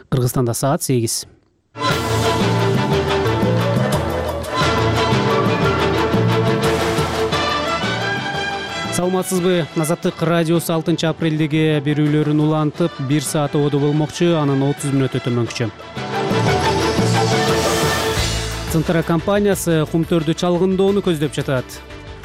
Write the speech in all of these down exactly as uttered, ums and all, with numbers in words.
Кыргызстанда саат сегиз. Саламатсызбы? Азаттык радиосу алтынчы апрелдеги берүүлөрүн улантып, бир саат ободо болмокчу, анын отуз мүнөт өтөмөкчү. Центра компаниясы кумтөрдү чалгындоону көздөп жатат.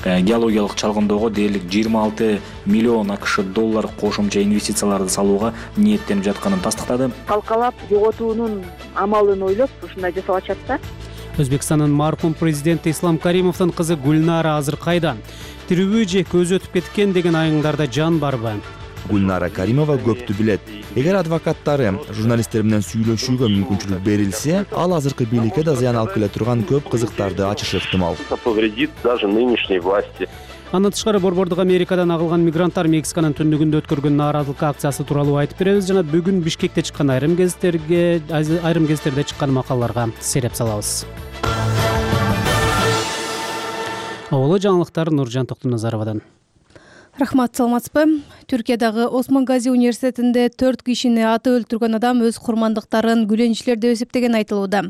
Геологиялык чалгындоого дээрлик жыйырма алты миллион акш доллар кошумча инвестицияларды салууга ниеттенип жатканын тастыктады. Калкалап жоготуунун амалын ойлоп ушундай жасалачат да. Өзбекстандын маркум президенти Ислам Каримовдун кызы Гүлнара азыр кайда? Тирүүбү же көзү өтүп кеткен деген айыңдарда жан барбы? Гүлнара Каримова көптү билет. Эгер адвокаттары журналисттер менен сүйлөшүүгө мүмкүнчүлүк берилсе, ал азыркы бийликке да зыян алып келе турган көп кызыктарды ачышы ыктымал. Повредит даже нынешней власти. Андан тышкары борбордук Америкадан агылган мигранттар Мексиканын түндүгүндө өткөргөн нааразылык акциясы тууралуу айтып беребиз жана бүгүн Бишкекте чыккан айрым гезиттерге айрым гезиттерде чыккан макалаларга сереп салабыз. Оло жаңылыктар Нуржан Токтуназаровадан. Рахмат, саламатсызбы? Түркиядагы Осмон Гази университетинде төрт кишини атып өлтүргөн адам өз курмандыктарын гүлөнчүлөр деп эсептеген айтылууда.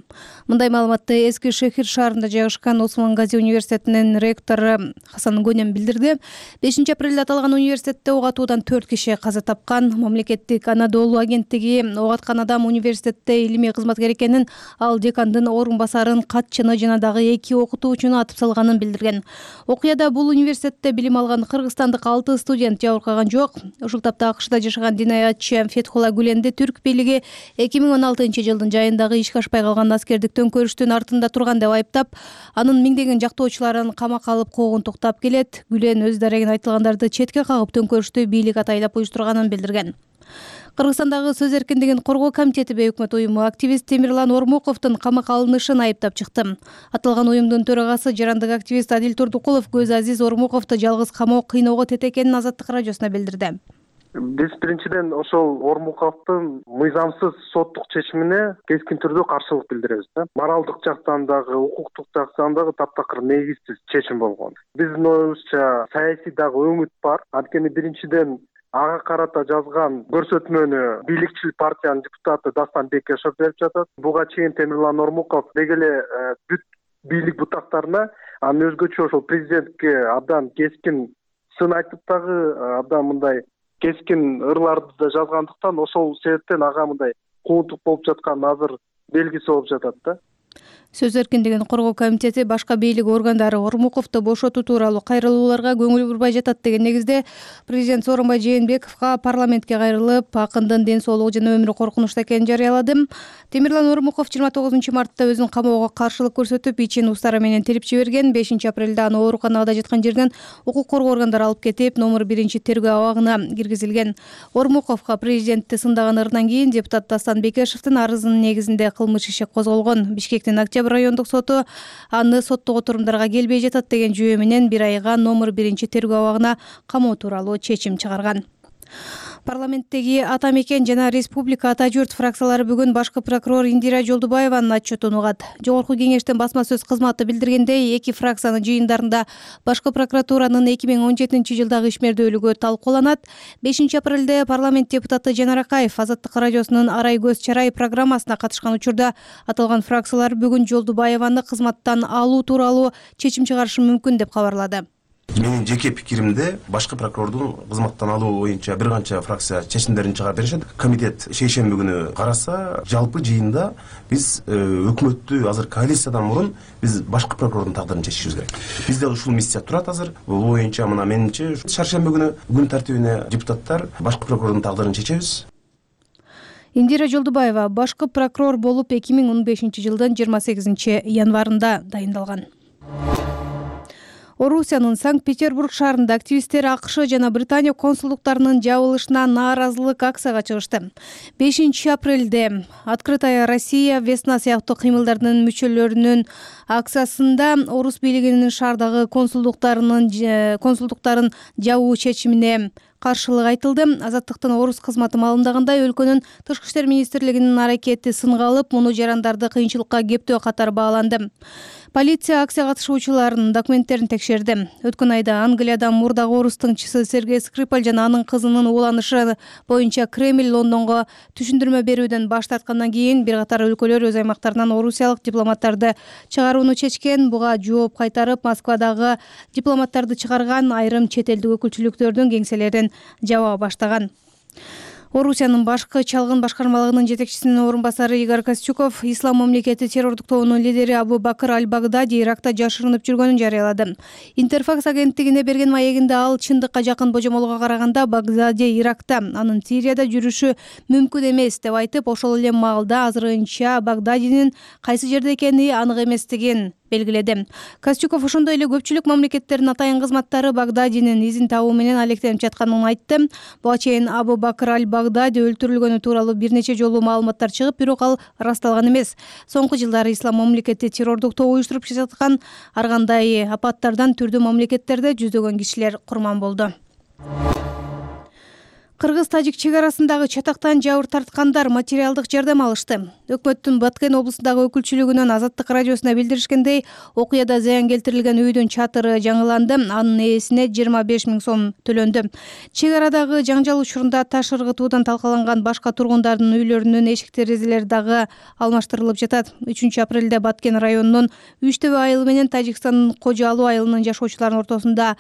Мындай маалыматты Эски Шехир шаарында жайгашкан Осмон Гази университетинин ректору Хасан Гонем билдирди. бешинчи апрелде аталган университетте ок атуудан төрт киши каза тапкан. Мамлекеттик Анадолу агенттиги ок аткан адам университетте илимий кызматкер экенин, ал декандын орун басарын, катчыны жана дагы эки окутуучуну атып салганын билдирген. Окуяда бул университетте билим алган кыргызстандык алты студент жабыркаган жок. Ушул тапта АКШда жашаган динаятчы Фетхула Гүленди түрк бийлиги эки миң он алтынчы жылдын жайындагы ишке ашпай калган аскердик төңкөрүштүн артында турган деп айыптап, анын миңдеген жактоочуларын камакка алып когун токтап келет. Гүлен өз дарегин айтылгандарды четке кагып төңкөрүштү бийлик атайлап уюштурганын билдирген. Кыргызстандагы сөз эркиндигин коргоо комитети бейөкмөт уюму активист Темирлан Ормуковдун камакка алынышын айыптап чыкты. Аталган уюмдун төрагасы жарандык активист Адил Турдукулов Көз Азиз Ормуковду жалгыз камоо кыйноого тете экенин Азаттык радиосуна билдирди. Биз биринчиден ошол Ормуковдун мыйзамсыз соттук чечимине кескин түрдө каршылык билдиребиз да. Моралдык жактан дагы, укуктук жактан дагы таптакыр негизсиз чечим болгон. Биздин оюбузча саясий дагы өңүт бар. Анткени биринчиден ага карата жазган көрсөтмөнү бийликчил партиянын депутаты Дастан Бекешев берип жатат. Буга чейин Темирлан Ормуков деги эле бүт бийлик бутактарына, анын өзгөчө ошол президентке абдан кескин сын айтып дагы абдан мындай кескин ырларды да жазгандыктан ошол себептен ага мындай кууntук болуп жаткан азыр белгиси болуп жатат да. Сөз эркиндигин коргоо комитети башка бийлик органдары Ормуковду бошотуу тууралуу кайрылууларга көңүл бурбай жатат деген негизде президент Сооронбай Жээнбековго парламентке кайрылып, акындын ден соолугу жана өмүрү коркунучта экенин жарыялады. Темирлан Ормуков жыйырма тогузунчу мартта өзүн камоого каршылык көрсөтүп, ичин устары менен тирип жиберген. бешинчи апрелде аны ооруканада жаткан жерден укук коргоо органдары алып кетип, номер биринчи тергөө абагына киргизилген. Ормуковго президентти сындаган ырынан кийин депутат Дастан Бекешевдин арызынын негизинде кылмыш иши козголгон. Бишкектин Октябрь райондук соту аны соттук отурумдарга келбей жатат деген жүйө менен бир айга номер биринчи тергөө абагына камоо тууралуу чечим чыгарган. Парламенттеги Ата мекен жана Республика Ата журт фракциялары бүгүн башкы прокурор Индира Жолдубаеванын отчетун угат. Жогорку кеңештин басма сөз кызматы билдиргендей, эки фракциянын жыйындарында башкы прокуратуранын эки миң он жетинчи жылдагы ишмердүүлүгү талкууланат. бешинчи апрелде парламент депутаты Жанар Акаев Азаттык радиосунун Арай көз чарай программасына катышкан учурда аталган фракциялар бүгүн Жолдубаеваны кызматтан алуу тууралуу чечим чыгарышы мүмкүн деп кабарлады. Менин жеке пикиримде башкы прокурордун кызматтан алуу боюнча бир канча фракция чечимдерин чыгарып беришет. Комитет шейшемби күнү караса, жалпы жыйында биз өкмөттү азыр коалициядан мурун биз башкы прокурордун тагдырын чечишибиз керек. Бизде ушул миссия турат азыр. Бул боюнча мына менимче шаршемби күнү күн тартибине депутаттар башкы прокурордун тагдырын чечебиз. Индира Жолдубаева башкы прокурор болуп эки миң он бешинчи жылдын жыйырма сегизинчи январында дайындалган. Орусиянын Санкт-Петербург шаарында активисттер АКШ жана Британия консулдуктарынын жабылышына нааразылык акцияга чыгышты. бешинчи апрелде Открытая Россия, Весна сыяктуу кыймылдардын мүчөлөрүнүн акциясында орус бийлигинин шаардагы консулдуктарынын консулдуктарын жабуу чечимине каршылык айтылды. Азаттыктын орус кызматы маалымдагандай, өлкөнүн тышкы иштер министрлигинин аракети сынга алып, муну жарандарды кыйынчылыкка кептөө катары бааланды. Полиция акция катышуучуларынын документтерин текшерди. Өткөн айда Англияда мурдагы орус тыңчысы Сергей Скрипаль жана анын кызынын ууланышы боюнча Кремль Лондонго түшүндүрмө берүүдөн баш тарткандан кийин бир катар өлкөлөр өз аймактарынан орусиялык дипломаттарды чыгарууну чечкен. Буга жооп кайтарып, Москвадагы дипломаттарды чыгарган айрым чет элдик өкүлчүлүктөрдүн кеңселерин жаба баштаган. Орусиянын башкы чалгын башкармалыгынын жетекчисинин орун басары Игорь Костюков Ислам мамлекети террордук тобунун лидери Абу Бакр аль-Багдади Иракта жашырынып жүргөнүн жарыялады. Интерфакс агенттигине берген маегинде ал чындыкка жакын божомолго караганда Багдади Иракта, анын Сирияда жүрүшү мүмкүн эмес деп айтып, ошол эле маалда азырынча Багдадинин кайсы жерде экени анык эместигин белгиледи. Костюков ошондой эле көпчүлүк мамлекеттердин атайын кызматтары Багдадинин изин табуу менен алектенип жатканын айтты. Буга чейин Абу Бакр аль-Багдади өлтүрүлгөнү тууралуу бир нече жолу маалыматтар чыгып, бирок ал ырасталган эмес. Соңку жылдары Ислам мамлекети террордук тобу уюштуруп жаткан ар кандай апаттардан түрдүү мамлекеттерде жүздөгөн кишилер курман болду. Кыргыз-тажик чек арасындагы чатактан жабыр тарткандар материалдык жардам алышты. Өкмөттүн Баткен облусундагы өкүлчүлүгүнөн Азаттык радиосуна билдиришкендей, окуяда зыян келтирилген үйдүн чатыры жаңыланды, анын ээсине жыйырма беш миң сом төлөндү. Чек арадагы жаңжал учурунда таш ыргытуудан талкаланган башка тургундардын үйлөрүнүн эшик терезелери дагы алмаштырылып жатат. үчүнчү апрелде Баткен районунун Үчтөбө айылы менен Тажикстандын Кожо Алуу айылынын жашоочуларынын ортосунда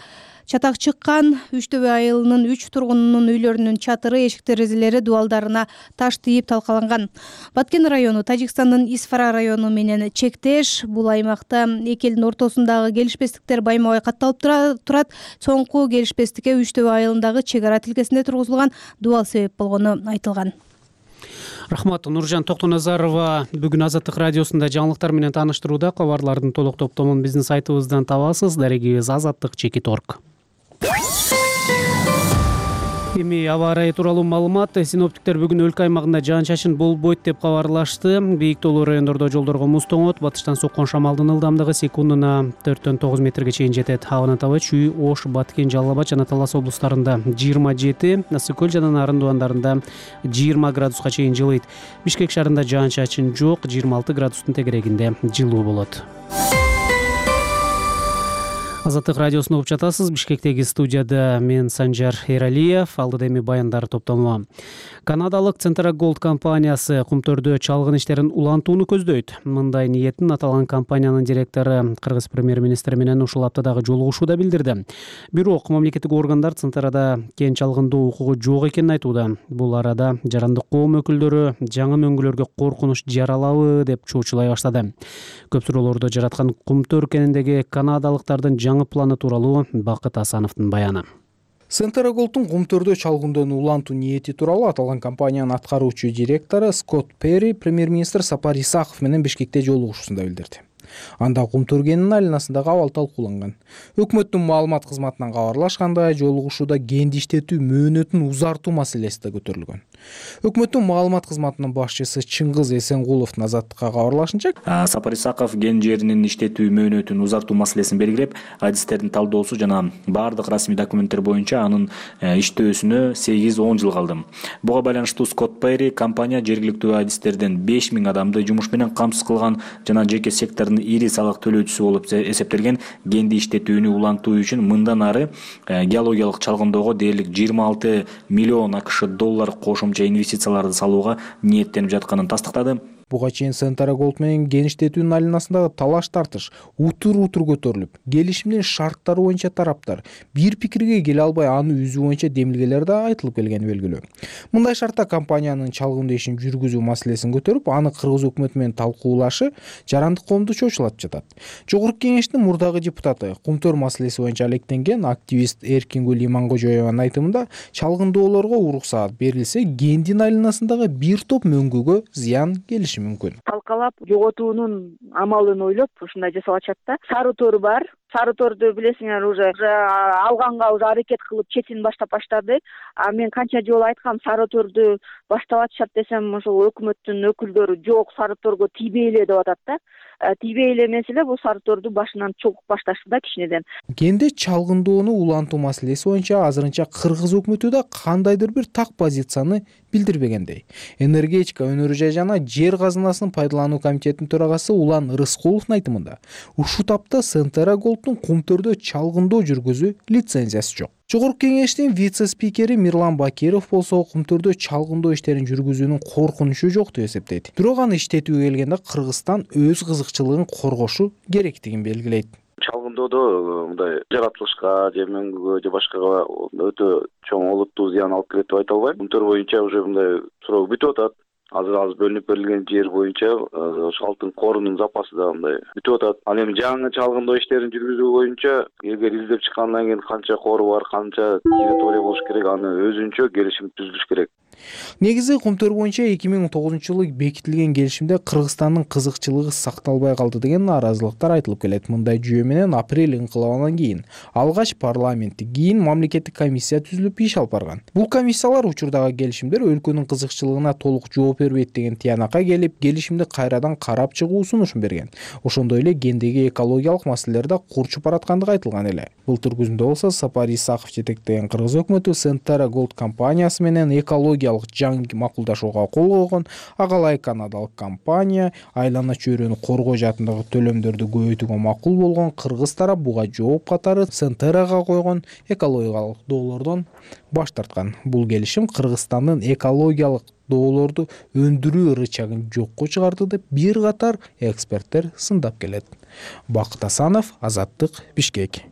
чатак чыккан. Үчтөбө айылынын үч тургунунун үйлөрүнүн чатыры, эшик терезелери дубалдарына таш тийип талкаланган. Баткен району Тажикстандын Исфара району менен чектеш. Бул аймакта эки элдин ортосундагы келишпестиктер байма-бай катталып турат. Соңку келишпестикке Үчтөбө айылындагы чек ара тилкесинде тургузулган дубал себеп болгону айтылган. Рахмат. Нуржан Токтоназарова бүгүн Азаттык радиосунда жаңылыктар менен тааныштырууда. Кабарлардын толук топтомун биздин сайтыбыздан табасыз. Дарегибиз азаттык чекит точка орг. Эми аба ырайы тууралуу маалымат. Синоптиктер бүгүн өлкө аймагында жаан-чачын болбойт деп кабарлашты. Бийик тоолуу райондордо жолдорго муз тоңот, батыштан соккон шамалдын ылдамдыгы секундуна төрттөн тогуз метрге чейин жетет. Абанын табы Чүй, Ош, Баткен, Жалал Абад жана Талас облустарында жыйырма жети, Ысык көл жана Нарын тубандарында жыйырма градуска чейин жылыйт. Бишкек шаарында жаан-чачын жок, жыйырма алты градустун тегерегинде жылуу болот. Азаттык радиосун угуп жатасыз. Бишкектеги студияда мен Санжар Эралиев. Алдыда эми баяндар топтому. Канадалык Центрагольд компаниясы кумтөрдө чалгын иштерин улантууну көздөйт. Мындай ниетин аталган компаниянын директору Кыргыз премьер-министри менен ушул аптадагы жолугушууда билдирди. Бирок мамлекеттик органдар Центрада кен чалгындоо укугу жок экенин айтууда. Бул арада жарандык коом өкүлдөрү жаңы мөңгүлөргө коркунуч жаралабы деп чоочулай баштады. Көп суроолорду жараткан кумтөр кениндеги канадалыктардын жаңы планы тууралуу Бакыт Асановдун баяны. Центрагольдтун кумтөрдө чалгындоону улантуу ниети тууралуу аталган компаниянын аткаруучу директору Скотт Перри премьер-министр Сапар Исаков менен Бишкекте жолугушуусунда билдирди. Анда кумтөр кенинин айланасындагы абал талкууланган. Өкмөттүн маалымат кызматынан кабарлашкандай, жолугушууда кенди иштетүү мөөнөтүн узартуу маселеси да көтөрүлгөн. Өкмөттүн маалымат кызматынын башчысы Чыңгыз Эсенгуловдун Азаттыкка кабарлашынча, Сапар Исаков кен жеринин иштетүү мөөнөтүн узартуу маселесин белгилеп, адистердин талдоосу жана баардык расмий документтер боюнча анын иштөөсүнө сегиз он жыл калды. Буга байланыштуу Скотт Перри компания жергиликтүү адистерден беш миң адамды жумуш менен камсыз кылган жана жеке сектордун ири салык төлөөчүсү болуп эсептелген кенди иштетүүнү улантуу үчүн мындан ары геологиялык чалгындоого дээрлик жыйырма алты миллион акш доллар кошумча инвестицияларды салууга ниеттенип жатканын тастыктады. Буга чейин Центрагольд менен кен иштетүүнүн айланасындагы талаш тартыш утур-утур көтөрүлүп, келишимдин шарттары боюнча тараптар бир пикирге келе албай аны үзүү боюнча демилгелер да айтылып келгени белгилүү. Мындай шартта компаниянын чалгындоо ишин жүргүзүү маселесин көтөрүп, аны Кыргыз өкмөтү менен талкуулашы жарандык коомду чочулатып жатат. Жогорку кеңештин мурдагы депутаты, кумтөр маселеси боюнча алектенген активист Эркингүл Имангожоеванын айтымында, чалгындоолорго уруксаат берилсе, кендин айланасындагы бир топ мөңгүгө зыян келиши мүмкүн. Талкалап жоготуунун амалын ойлоп ушундай жасап атышат да. Сары тор бар, Сары торду билесиңер, уже алганга уже аракет кылып четин баштап баштады. А мен канча жолу айткам, сары торду баштап атышат десем, ошол өкмөттүн өкүлдөрү жок, сары торго тийбейле деп атат да. Тийбейле эмес эле, бул сары торду башынан чогуп башташты да кичинеден. Кенде чалгындоону улантуу маселеси боюнча азырынча кыргыз өкмөтү да кандайдыр бир так позицияны билдирбегендей. Энергетика өнөрү жана жер казынасынын пайдалануу комитетинин төрагасы Улан Рыскуловдун айтымында, ушул тапта Центера Голдтун кумтөрдө чалгындоо жүргүзүү лицензиясы жок. Жогорку кеңештин вице-спикери Мирлан Бакиров болсо кумтөрдө чалгындоо иштерин жүргүзүүнүн коркунучу жок деп эсептейт. Бирок аны иштетүүгө келгенде Кыргызстан өз кызыкчылыгын коргошу керектигин белгилейт. Чалгындоодо мындай жаратылышка же мөңгүгө же башкага өтө чоң олуттуу зыян алып келет деп айта албайм. Кумтөр боюнча уже мындай суроо бүтүп атат. Азыр азыр бөлүнүп берилген жер боюнча ошо алтын корунун запасы да мындай бүтүп атат. Ал эми жаңы чалгындоо иштерин жүргүзүү боюнча эгер издеп чыккандан кийин канча кору бар, канча территория болуш керек, аны өзүнчө келишим түзүлүш керек. Негизи кумтөр боюнча эки миң он тогузунчу жылы бекитилген келишимде Кыргызстандын кызыкчылыгы сакталбай калды деген нааразылыктар айтылып келет. Мындай жүйө менен апрель инкылабынан кийин алгач парламенттик, кийин мамлекеттик комиссия түзүлүп иш алып барган. Бул комиссиялар учурдагы келишимдер өлкөнүн кызыкчылыгына толук жооп бербейт деген тыянакка келип, келишимди кайрадан карап чыгуу сунушун берген. Ошондой эле гендеги экологиялык маселелер да курчуп бараткандыгы айтылган эле. Былтыр күзүндө болсо Сапар Исаков жетектеген кыргыз өкмөтү Центера Голд компаниясы менен экология жаңы макулдашууга кол койгон. Агалай канадалык компания айлана чөйрөнү коргоо жаатындагы төлөмдөрдү көбөйтүүгө макул болгон. Кыргыз тарап буга жооп катары Центерага койгон экологиялык доолордон баш тарткан. Бул келишим Кыргызстандын экологиялык доолорду өндүрүү рычагын жокко чыгарды деп бир катар эксперттер сындап келет. Бакыт Асанов, Азаттык, Бишкек.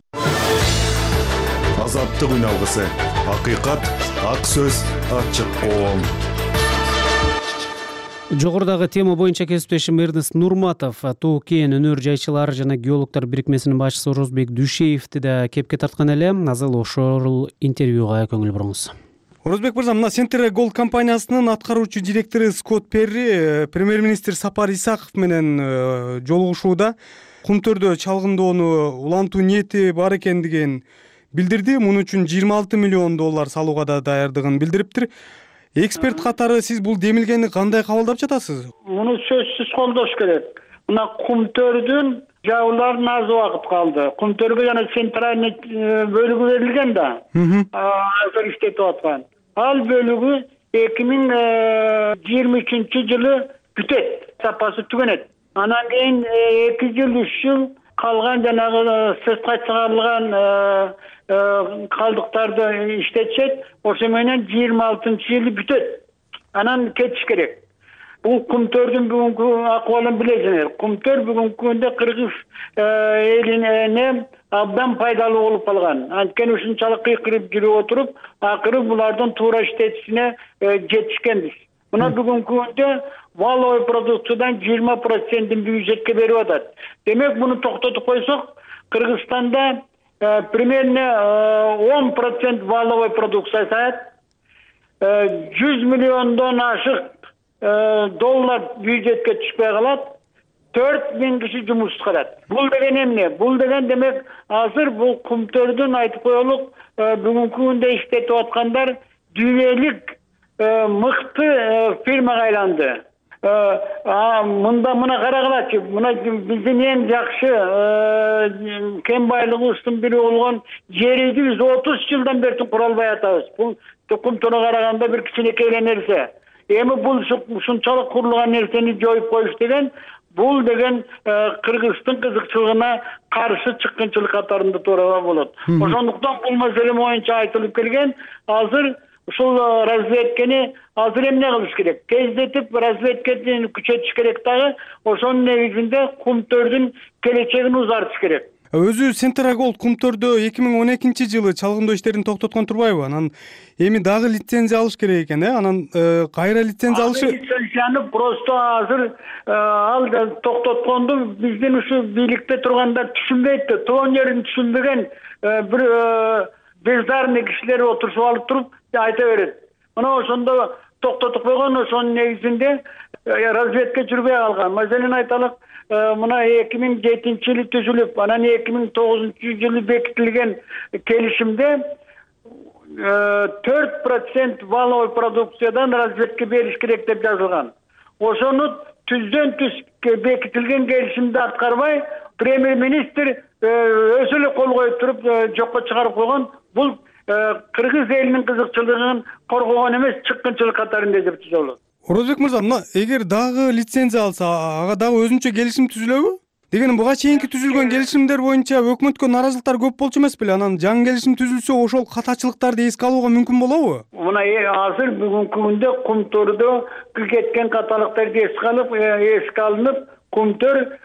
Азаттык үн алгысы. Акыйкат, ак сөз, ачык коом. Жогорудагы тема боюнча кесиптешим Эрнест Нурматов Тоо Кен өнөр жайчылар жана геологдор бирикмесинин башчысы Орозбек Дүйшеевди да кепке тарткан эле. Азыр ошол интервьюга көңүл буруңуз. Орозбек мырза, мына Центера Голд компаниясынын аткаруучу директору Скотт Перри премьер-министр Сапар Исаков менен жолугушууда кумтөрдө чалгындоону улантуу ниети бар экендигин билдирди. Муну үчүн жыйырма алты миллион доллар салууга да даярдыгын билдириптир. Эксперт катары сиз бул демилгени кандай кабылдап жатасыз? Муну сөзсүз колдош керек. Мына кумтөрдүн жабыларына аз убакыт калды. Кумтөргө жана центральный бөлүгү берилген да. Азыр иштетип аткан. Ал бөлүгү эки миң жыйырма үчүнчү жылы бүтөт, сапасы түгөнөт. Анан кийин эки жыл, үч жыл калган жанагы сыртка чыгарылган калдыктарды иштетишет. Ошо менен жыйырма алтынчы жылы бүтөт. Анан кетиш керек. Бул кумтөрдүн бүгүнкү акыбалын билесиңер. Кумтөр бүгүнкү күндө Кыргыз элине абдан пайдалуу болуп калган. Анткени ушунчалык кыйкырып жүрүп отуруп, акыры булардын туура иштетишине жетишкенбиз. Мына бүгүнкү күндө валовый продукциядан жыйырма процентин бюджетке берип атат. Демек, муну токтотуп койсок, Кыргызстанда примерно он процент валовый продукция саят, жүз миллиондон ашык доллар бюджетке түшпөй калат, төрт миң киши жумушсуз калат. Бул деген эмне? Бул деген демек азыр бул кумтөрдүн айтып коелук бүгүнкү күндө иштетип аткандар дүйнөлүк мыкты фирмага айланды. Мында мына карагылачы, мына биздин эң жакшы кен байлыгыбыздын бири болгон жерди биз отуз жылдан бери кура албай атабыз. Бул кумтөргө караганда бир кичинекей эле нерсе. Эми бул ушунчалык курулган нерсени жоюп коюш деген, бул деген Кыргыздын кызыкчылыгына каршы чыккынчылык катарында туура болот. Ошондуктан бул маселе боюнча айтылып келген. Азыр ушул разведкени азыр эмне кылыш керек? Тездетип разведкени күчөтүш керек дагы. Ошонун негизинде кумтөрдүн келечегин узартыш керек. Өзү Центера Голд кумтөрдө эки миң он экинчи жылы чалгындоо иштерин токтоткон турбайбы? Анан эми дагы лицензия алыш керек экен, э? Анан кайра лицензия алышы? Лицензияны просто азыр ал токтотконду биздин ушу бийликте тургандар түшүнбөйт да. Тоон жерин түшүнбөгөн бир бездарный кишилер отурушуп алып туруп айта берет. Мына ошондо токтотуп койгон, ошонун негизинде разведка жүрбөй калган. Маселен айталык, мына эки миң жетинчи жылы түзүлүп, анан эки миң тогузунчу жылы бекитилген келишимде төрт процент валовый продукциядан разведка бериш керек деп жазылган. Ошону түздөн түз бекитилген келишимди аткарбай, премьер-министр өзү эле кол коюп туруп жокко чыгарып койгон. Бул кыргыз элинин кызыкчылыгын коргогон эмес, чыккынчылык катарында эсептесе болот. Орозбек мырза, мына эгер дагы лицензия алса, ага дагы өзүнчө келишим түзүлөбү? Дегеним, буга чейинки түзүлгөн келишимдер боюнча өкмөткө нааразылыктар көп болчу эмес беле? Анан жаңы келишим түзүлсө, ошол катачылыктарды эске алууга мүмкүн болобу? Мына азыр бүгүнкү күндө Кумтөрдө кеткен каталыктарды эске алып, эске алынып, Кумтөр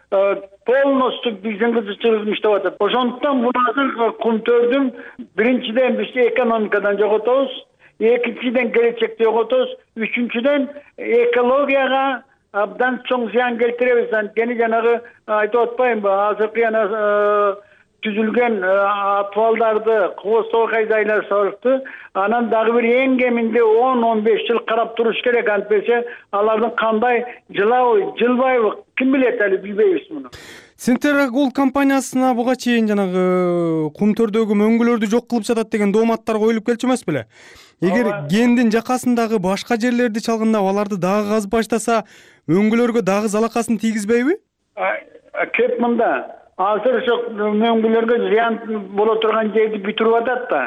полностью биздин кызыкчылыгыбызды иштеп атат. Ошондуктан бул азыр Кумтөрдүн биринчиден биз экономикадан жоготобуз, экинчиден келечекти жоготобуз, үчүнчүдөн экологияга абдан чоң зыян келтиребиз. Анткени жанагы айтып атпаймынбы, азыркы жана түзүлгөн абалдарды кооздоо кайдайлар сорупты. Анан дагы бир эң кеминде он он беш жыл карап туруш керек. Антпесе алардын кандай жылабы, жылбайбы, ким билет, али билбейбиз муну. Centera Gold компаниясына буга чейин жанагы Кумтөрдөгү мөңгүлөрдү жок кылып жатат деген дооматтар коюлуп келчү эмес беле? Эгер кендин жакасындагы башка жерлерди чалгындап, аларды дагы казып баштаса, мөңгүлөргө дагы залакасын тийгизбейби? Кеп мында азыр ошо мөңгүлөргө зыян боло турган жерди бүтүрүп атат да.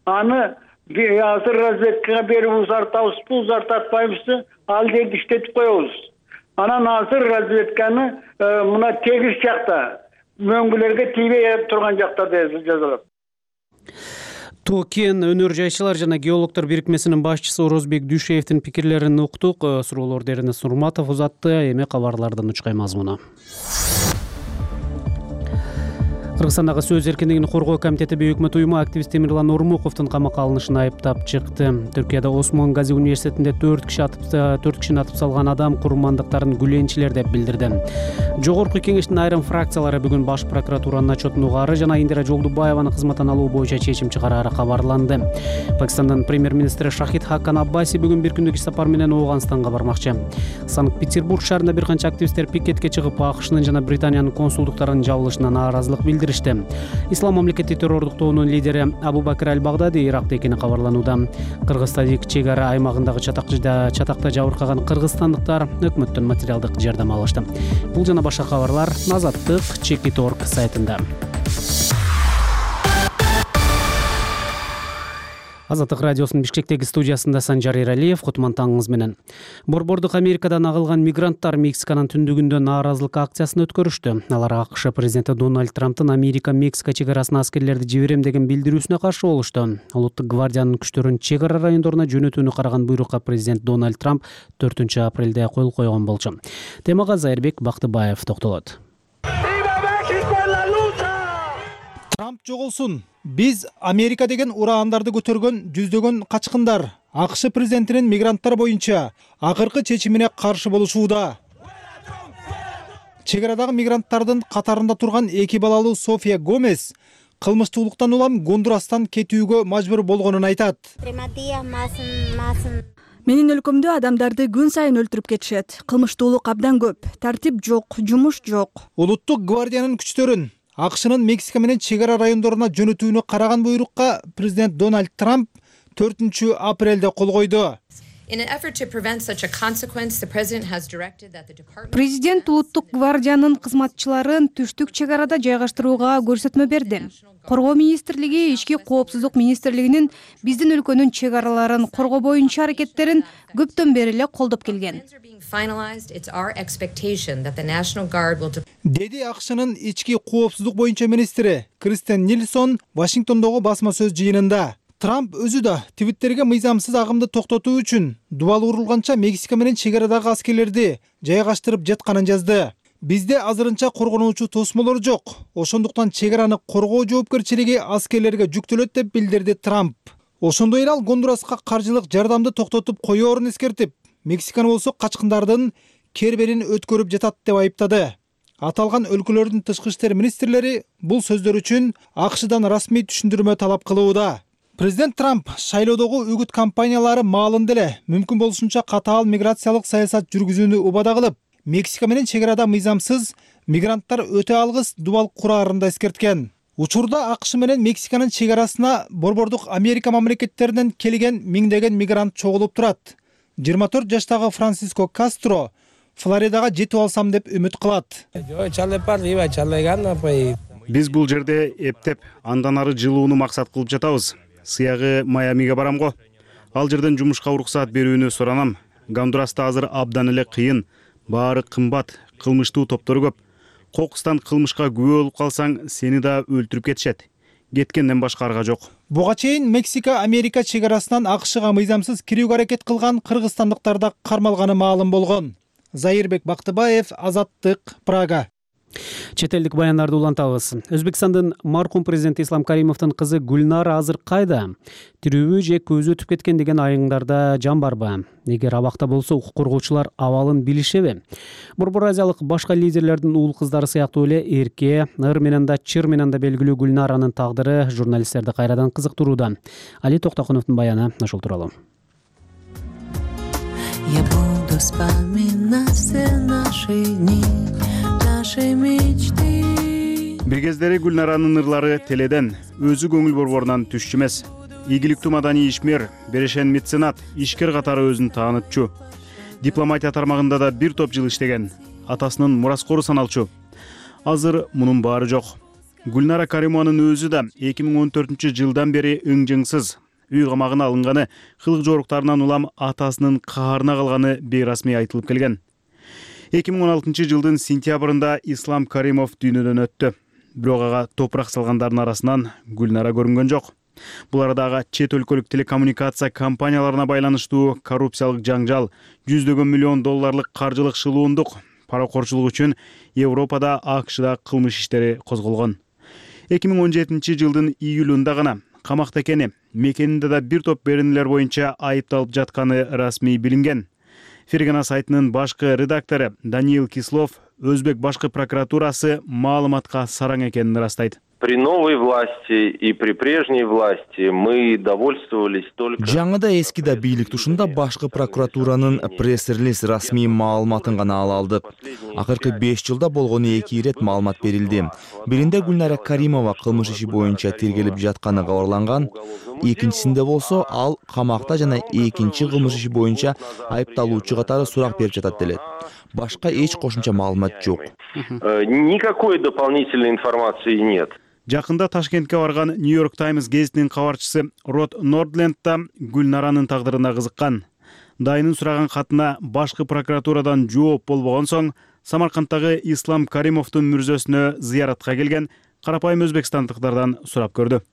Аны азыр разведкага берип узартабызбы, узартпайбызбы, ал жерди иштетип коебуз. Анан азыр разведканы мына тегиз жакта, мөңгүлөргө тийбей турган жактарда жазылат. Токен өнөр жайчылар жана геологдор бирикмесинин башчысы Орозбек Дүйшеевдин пикирлерин уктук. Суроолорду Эрнест Нурматов узатты. Эми кабарлардан учкай мазмуну. Кыргызстандагы сөз эркиндигин коргоо комитети Өкмөт уюму активист Темирлан Ормуковдун камакка алынышын айыптап чыкты. Түркияда Осмон Гази университетинде төрт киши атып төрт кишини атып салган адам курмандыктарын гүленчилер деп билдирди. Жогорку кеңештин айрым фракциялары бүгүн баш прокуратуранын отчетун угаары жана Индира Жолдубаеваны кызматтан алуу боюнча чечим чыгарары кабарланды. Пакистандын премьер-министри Шахид Хакан Аббаси бүгүн бир күндүк иш сапар менен Ооганстанга бармакчы. Санкт-Петербург шаарында бир канча активисттер пикетке чыгып, АКШнын жана Британиянын консулдуктарынын жабылышына нааразылык билдиришти. Ислам мамлекети террордуктоонун лидери Абу Бакр аль-Багдади Иракта экени кабарланууда. Кыргыз-тажик чек ара аймагындагы чатакта жабыркаган кыргызстандыктар өкмөттөн материалдык жардам алышты. Бул жана башка кабарлар Азаттык чекит точка орг сайтында. Азаттык радиосунун Бишкектеги студиясында Санжар Эралиев, кутман таңыңыз менен. Борбордук Америкадан агылган мигранттар Мексиканын түндүгүндө нааразылык акциясын өткөрүштү. Алар АКШ президенти Дональд Трамптын Америка-Мексика чек арасына аскерлерди жиберем деген билдирүүсүнө каршы болушту. Улуттук гвардиянын күчтөрүн чек ара райондоруна жөнөтүүнү караган буйрукка президент Дональд Трамп төртүнчү апрелде кол койгон болчу. Темага Зайырбек Бактыбаев токтолот. Трамп жоголсун. Биз Америка деген ураандарды көтөргөн жүздөгөн качкындар АКШ президентинин мигранттар боюнча акыркы чечимине каршы болушууда. Чек арадагы мигранттардын катарында турган эки балалуу София Гомес кылмыштуулуктан улам Гондурастан кетүүгө мажбур болгонун айтат. Менин өлкөмдө адамдарды күн сайын өлтүрүп кетишет. Кылмыштуулук абдан көп, тартип жок, жумуш жок. Улуттук гвардиянын күчтөрүн АКШнын Мексика менен чек ара райондоруна жөнөтүүнү караган буйрукка президент Дональд Трамп төртүнчү апрелде кол койду. Президент улуттук гвардиянын кызматчыларын түштүк чек арада жайгаштырууга көрсөтмө берди. Коргоо министрлиги, ички коопсуздук министрлигинин биздин өлкөнүн чек араларын коргоо боюнча аракеттерин көптөн бери эле колдоп келген. Деди АКШнын ички коопсуздук боюнча министри Кристен Нильсон Вашингтондогу басма сөз жыйынында. Трамп өзү да Твиттерге мыйзамсыз агымды токтотуу үчүн дубал урулганча Мексика менен чек арадагы аскерлерди жайгаштырып жатканын жазды. Бизде азырынча коргонуучу тосмолор жок. Ошондуктан чек араны коргоо жоопкерчилиги аскерлерге жүктөлөт деп билдирди Трамп. Ошондой эле ал Гондураска каржылык жардамды токтотуп коёорун эскертип, Мексиканы болсо качкындардын керберин өткөрүп жатат деп айыптады. Аталган өлкөлөрдүн тышкы иштер министрлери бул сөздөр үчүн АКШдан расмий түшүндүрмө талап кылууда. Президент Трамп шайлоодогу үгүт кампаниялары маалында эле мүмкүн болушунча катаал миграциялык саясат жүргүзүүнү убада кылып, Мексика менен чек арада мыйзамсыз мигранттар өтө алгыс дубал курарын да эскерткен. Учурда АКШ менен Мексиканын чек арасына борбордук Америка мамлекеттеринен келген миңдеген мигрант чогулуп турат. жыйырма төрт жаштагы Франсиско Кастро Флоридага жетип алсам деп үмүт кылат. Биз бул жерде эптеп, андан ары жылууну максат кылып жатабыз. Сыягы Майамиге барам го. Ал жерден жумушка уруксаат берүүнү суранам. Гондураста азыр абдан эле кыйын, баары кымбат, кылмыштуу топтор көп. Кокустан кылмышка күбө болуп калсаң, сени да өлтүрүп кетишет. Кеткенден башка арга жок. Буга чейин Мексика Америка чек арасынан АКШга мыйзамсыз кирүүгө аракет кылган кыргызстандыктар да кармалганы маалым болгон. Зайырбек Бактыбаев, Азаттык, Прага. Чет элдик баяндарды улантабыз. Өзбекстандын маркум президенти Ислам Каримовдун кызы Гүлнара азыр кайда? Тирүүбү же көзү өтүп кеткен деген айыңдарда жан барбы? Эгер абакта болсо, укук коргоочулар абалын билишеби? Борбор Азиялык башка лидерлердин уул кыздары сыяктуу эле эрке, ыр менен да чыр менен да белгилүү Гүлнаранын тагдыры журналисттерди кайрадан кызыктырууда. Али Токтокуновдун баяны ошол тууралуу. Я буду вспоминать все наши дни. Бир кездери Гүлнаранын ырлары теледен, өзү көңүл борборунан түшчү эмес. Ийгиликтүү маданий ишмер, берешен меценат, ишкер катары өзүн таанытчу. Дипломатия тармагында да бир топ жыл иштеген, атасынын мураскору саналчу. Азыр мунун баары жок. Гүлнара Каримованын өзү да эки миң он төртүнчү жылдан бери ың-жыңсыз, үй камагына алынганы, кылык жоруктарынан улам атасынын каарына калганы бейрасмий айтылып келген. эки миң он алтынчы жылдын сентябрында Ислам Каримов дүйнөдөн өттү. Бирок ага топурак салгандардын арасынан Гүлнара көрүнгөн жок. Бул арада ага чет өлкөлүк телекоммуникация компанияларына байланыштуу коррупциялык жаңжал, жүздөгөн миллион долларлык каржылык шылуундук, паракорчулук үчүн Европада, АКШда кылмыш иштери козголгон. эки миң он жетинчи жылдын июлунда гана камакта экени, мекенинде да бир топ беренелер боюнча айыпталып жатканы расмий билинген. Фергана сайтынын башкы редактору Даниил Кислов Өзбек башкы прокуратурасы маалыматка сараң экенин ырастайт. При новой власти и при прежней власти мы довольствовались только... Жаңыда эскида бийлик тушунда башкы прокуратуранын пресс-релиз расмий маалыматын гана ала алдык. Акыркы беш жылда болгону эки ирет маалымат берилди. Биринде Гүлнара Каримова кылмыш иши боюнча тергелип жатканы кабарланган. Экинчисинде болсо ал камакта жана экинчи кылмыш иши боюнча айыпталуучу катары сурак берип жатат делет. Башка эч кошумча маалымат жок. Никакой дополнительной информации нет. Жакында Ташкентке барган Нью-Йорк Таймс гезитинин кабарчысы Род Нордленд да Гүлнаранын тагдырына кызыккан. Дайынын сураган катына башкы прокуратурадан жооп болбогон соң, Самаркандтагы Ислам Каримовдун мүрзөсүнө зыяратка келген карапайым өзбекстандыктардан сурап көрдү.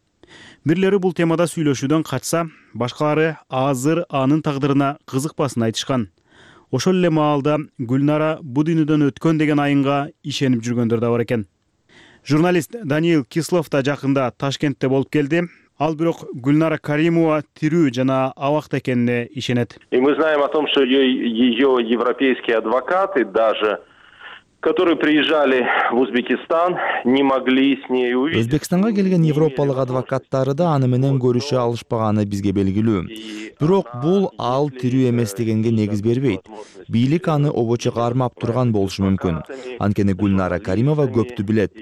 Бирлери бул темада сүйлөшүүдөн качса, башкалары азыр анын тагдырына кызыкпасын айтышкан. Ошол эле маалда Гүлнара бу дүйнөдөн өткөн деген айынга ишенип жүргөндөр да бар экен. Журналист Даниил Кислов да жакында Ташкентте болуп келди. Ал бирок Гүлнара Каримова тирүү жана абакта экенине ишенет. И мы знаем о том, что ее европейские адвокаты даже, которые приезжали в Узбекистан, не могли с ней увидеть. Өзбекстанга келген европалык адвокаттары да аны менен көрүшө алышпаганы бизге белгилүү. Бирок бул ал тирүү эмес дегенге негиз бербейт. Бийлик аны обочо кармап турган болушу мүмкүн. Анткени Гүлнара Каримова көптү билет.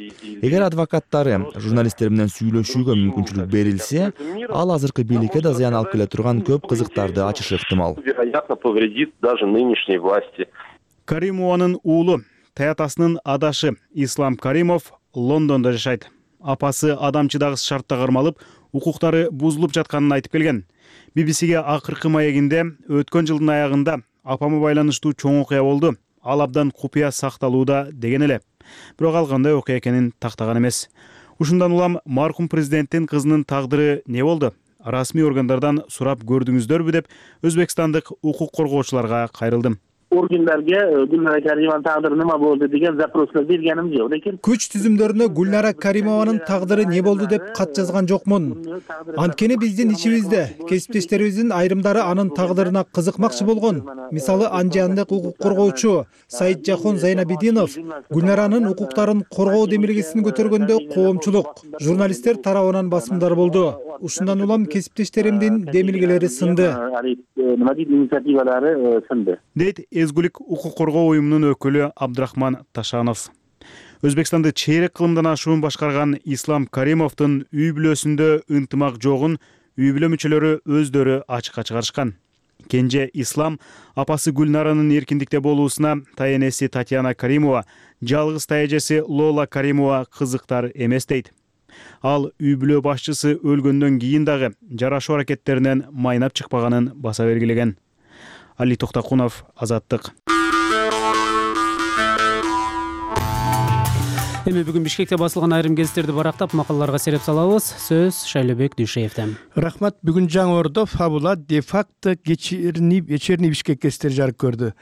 Эгер адвокаттары журналисттер менен сүйлөшүүгө мүмкүнчүлүк берилсе, ал азыркы бийликке да зыян алып келе турган көп кызыктарды ачышы ыктымал. Вероятно, повредит даже нынешней власти. Каримованын уулу Таятасынын адашы Ислам Каримов Лондондо жашайт. Апасы адамчыдагыс шартта кармалып, укуктары бузулуп жатканын айтып келген. би би си-ге акыркы маегинде өткөн жылдын аягында апамы байланыштуу чоң окуя болду. Ал абдан купуя сакталууда деген эле. Бирок ал кандай окуя экенин тактаган эмес. Ушундан улам маркум президенттин кызынын тагдыры не болду? Расмий органдардан сурап көрдүңүздөрбү деп өзбекстандык укук коргоочуларга кайрылдым. Organlarga Gülnara Karimovanın taqdiri nima bo'ldi degan zaproslar berganim yo'q, lekin Күч түзүмдөрүнө Гүлнара Каримованын тагдыры не болду деп кат жазган жокмун. Анткени биздин ичибизде кесиптештерибиздин айрымдары анын тагдырына кызыкмакчы болгон. Мисалы, анжандык укук коргоочу Саиджахон Зайнабидинов Гүлнаранын укуктарын коргоо демилгесин көтөргөндө коомчулук, журналисттер тарабынан басымдар болду. ушундан улам кесиптештеримдин демилгелери сынды. Нема дейт, инициативалары сынды, дейт Эзгүлүк укук коргоо уюмунун өкүлү Абдрахман Ташанов. Өзбекстанды чейрек кылымдан ашуун башкарган Ислам Каримовдун үй бүлөсүндө ынтымак жогун үй бүлө мүчөлөрү өздөрү ачыкка чыгарышкан. Кенже Ислам апасы Гүлнаранын эркиндикте болуусуна таенеси Татьяна Каримова, жалгыз таежеси Лола Каримова кызыктар эмес дейт. Ал үй бүлө башчысы өлгөндөн кийин дагы жарашуу аракеттеринен майнап чыкпаганын баса белгилеген. Али Токтакунов, Азаттык. Эми бүгүн Бишкекте басылган айрым гезиттерди барактап макалаларга сереп салабыз. Сөз Шайлебек Дүйшеевден. Рахмат. Бүгүн Жаңы Ордо фабула де-факто вечерний Бишкек гезиттери жарык көрдү.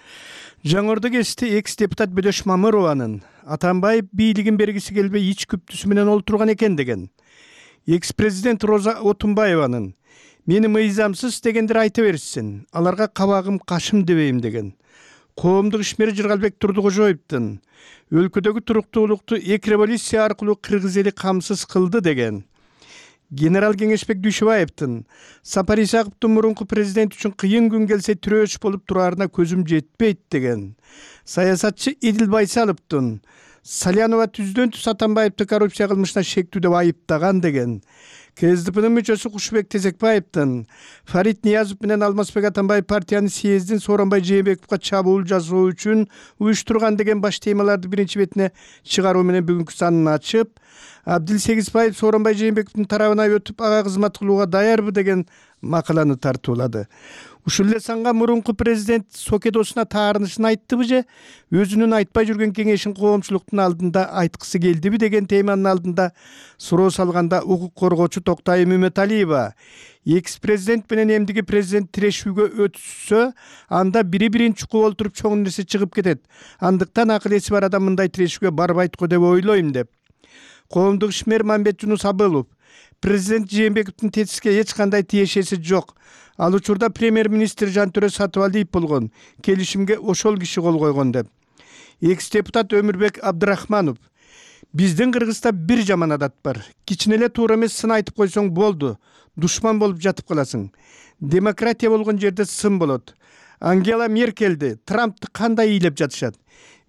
Жаңы Ордо гезити экс-депутат Бөдөш Мамырованын Атамбаев бийлигин бергиси келбей ич күптүсү менен олтурган экен деген. Экс-президент Роза Отунбаеванын мени мыйзамсыз дегендер айта берсин, аларга кабагым кашым дебейм деген. Коомдук ишмери Жыргалбек Турдукожоевдун өлкөдөгү туруктуулукту эки революция аркылуу кыргыз эли камсыз кылды деген. Генерал Кеңешбек Дүйшөбаевдин Сапар Исаковдун мурунку президент үчүн кыйын күн келсе тирөөч болуп тураарына көзүм жетпейт деген. Саясатчы Эдил Байсаловдун Салянова түздөн түз Атамбаевди коррупция кылмышына шектүү деп айыптаган деген. КСДПнын мүчөсү Кушубек Тезекбаевдин Фарид Ниязов менен Алмазбек Атамбаев партиянын съездин Сооронбай Жээнбековго чабуул жасоо үчүн уюштурган деген баш темаларды биринчи бетине чыгаруу менен бүгүнкү санын ачып, Абдил Сегизбаев Сооронбай Жээнбековдун тарабына өтүп ага кызмат кылууга даярбы деген макаланы тартуулады. Ушул эле санга мурунку президент сокедосуна таарынышын айттыбы же, өзүнүн айтпай жүргөн кеңешин коомчулуктун алдында айткысы келдиби деген теманын алдында суроо салганда укук коргоочу Токтайым Үмөталиева экс-президент менен эмдиги президент тирешүүгө өтүшсө, анда бири-бирин чукуп олтуруп чоң нерсе чыгып кетет. Андыктан акыл эси бар адам мындай тирешүүгө барбайт го деп ойлойм деп. Коомдук ишмер Мамбет Жунус Абылов президент Жээнбековдун тетиске эч кандай тиешеси жок. Ал учурда премьер-министр Жантөрө Сатыбалиев болгон, келишимге ошол киши кол койгон деп. Экс-депутат Өмүрбек Абдрахманов биздин Кыргызда бир жаман адат бар. Кичине эле туура эмес сын айтып койсоң болду, душман болуп жатып каласың. Демократия болгон жерде сын болот. Ангела Меркельди, Трампты кандай ыйлап жатышат?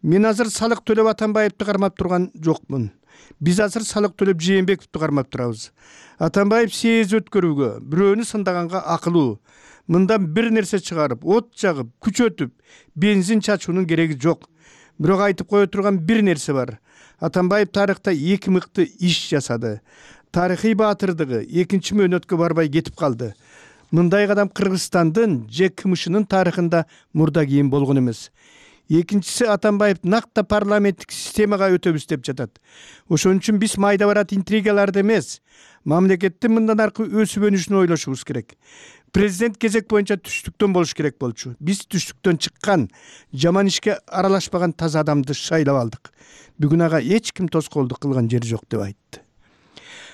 Мен азыр салык төлөп Атамбаевди кармап турган жокмун. Биз азыр салык төлөп Жээнбековду кармап турабыз. Атамбаев съезд өткөрүүгө, бирөөнү сындаганга акылуу. Мындан бир нерсе чыгарып, от жагып, күч өтүп, бензин чачуунун кереги жок. Бирок айтып кое турган бир нерсе бар. Атамбаев тарыхта эки мыкты иш жасады. Тарыхый баатырдыгы экинчи мөөнөткө барбай кетип калды. Мындай кадам Кыргызстандын же КМШнын тарыхында мурда кийин болгон эмес. Экинчиси Атамбаев накта парламенттик системага өтөбүз деп жатат. Ошон үчүн биз майда барат интригаларды эмес, мамлекеттин мындан аркы өсүп өнүшүнү ойлошубуз керек. Президент кезек боюнча түштүктөн болуш керек болчу. Биз түштүктөн чыккан, жаман ишке аралашпаган таза адамды шайлап алдык. Бүгүн ага эч ким тоскоолдук кылган жери жок деп айтты.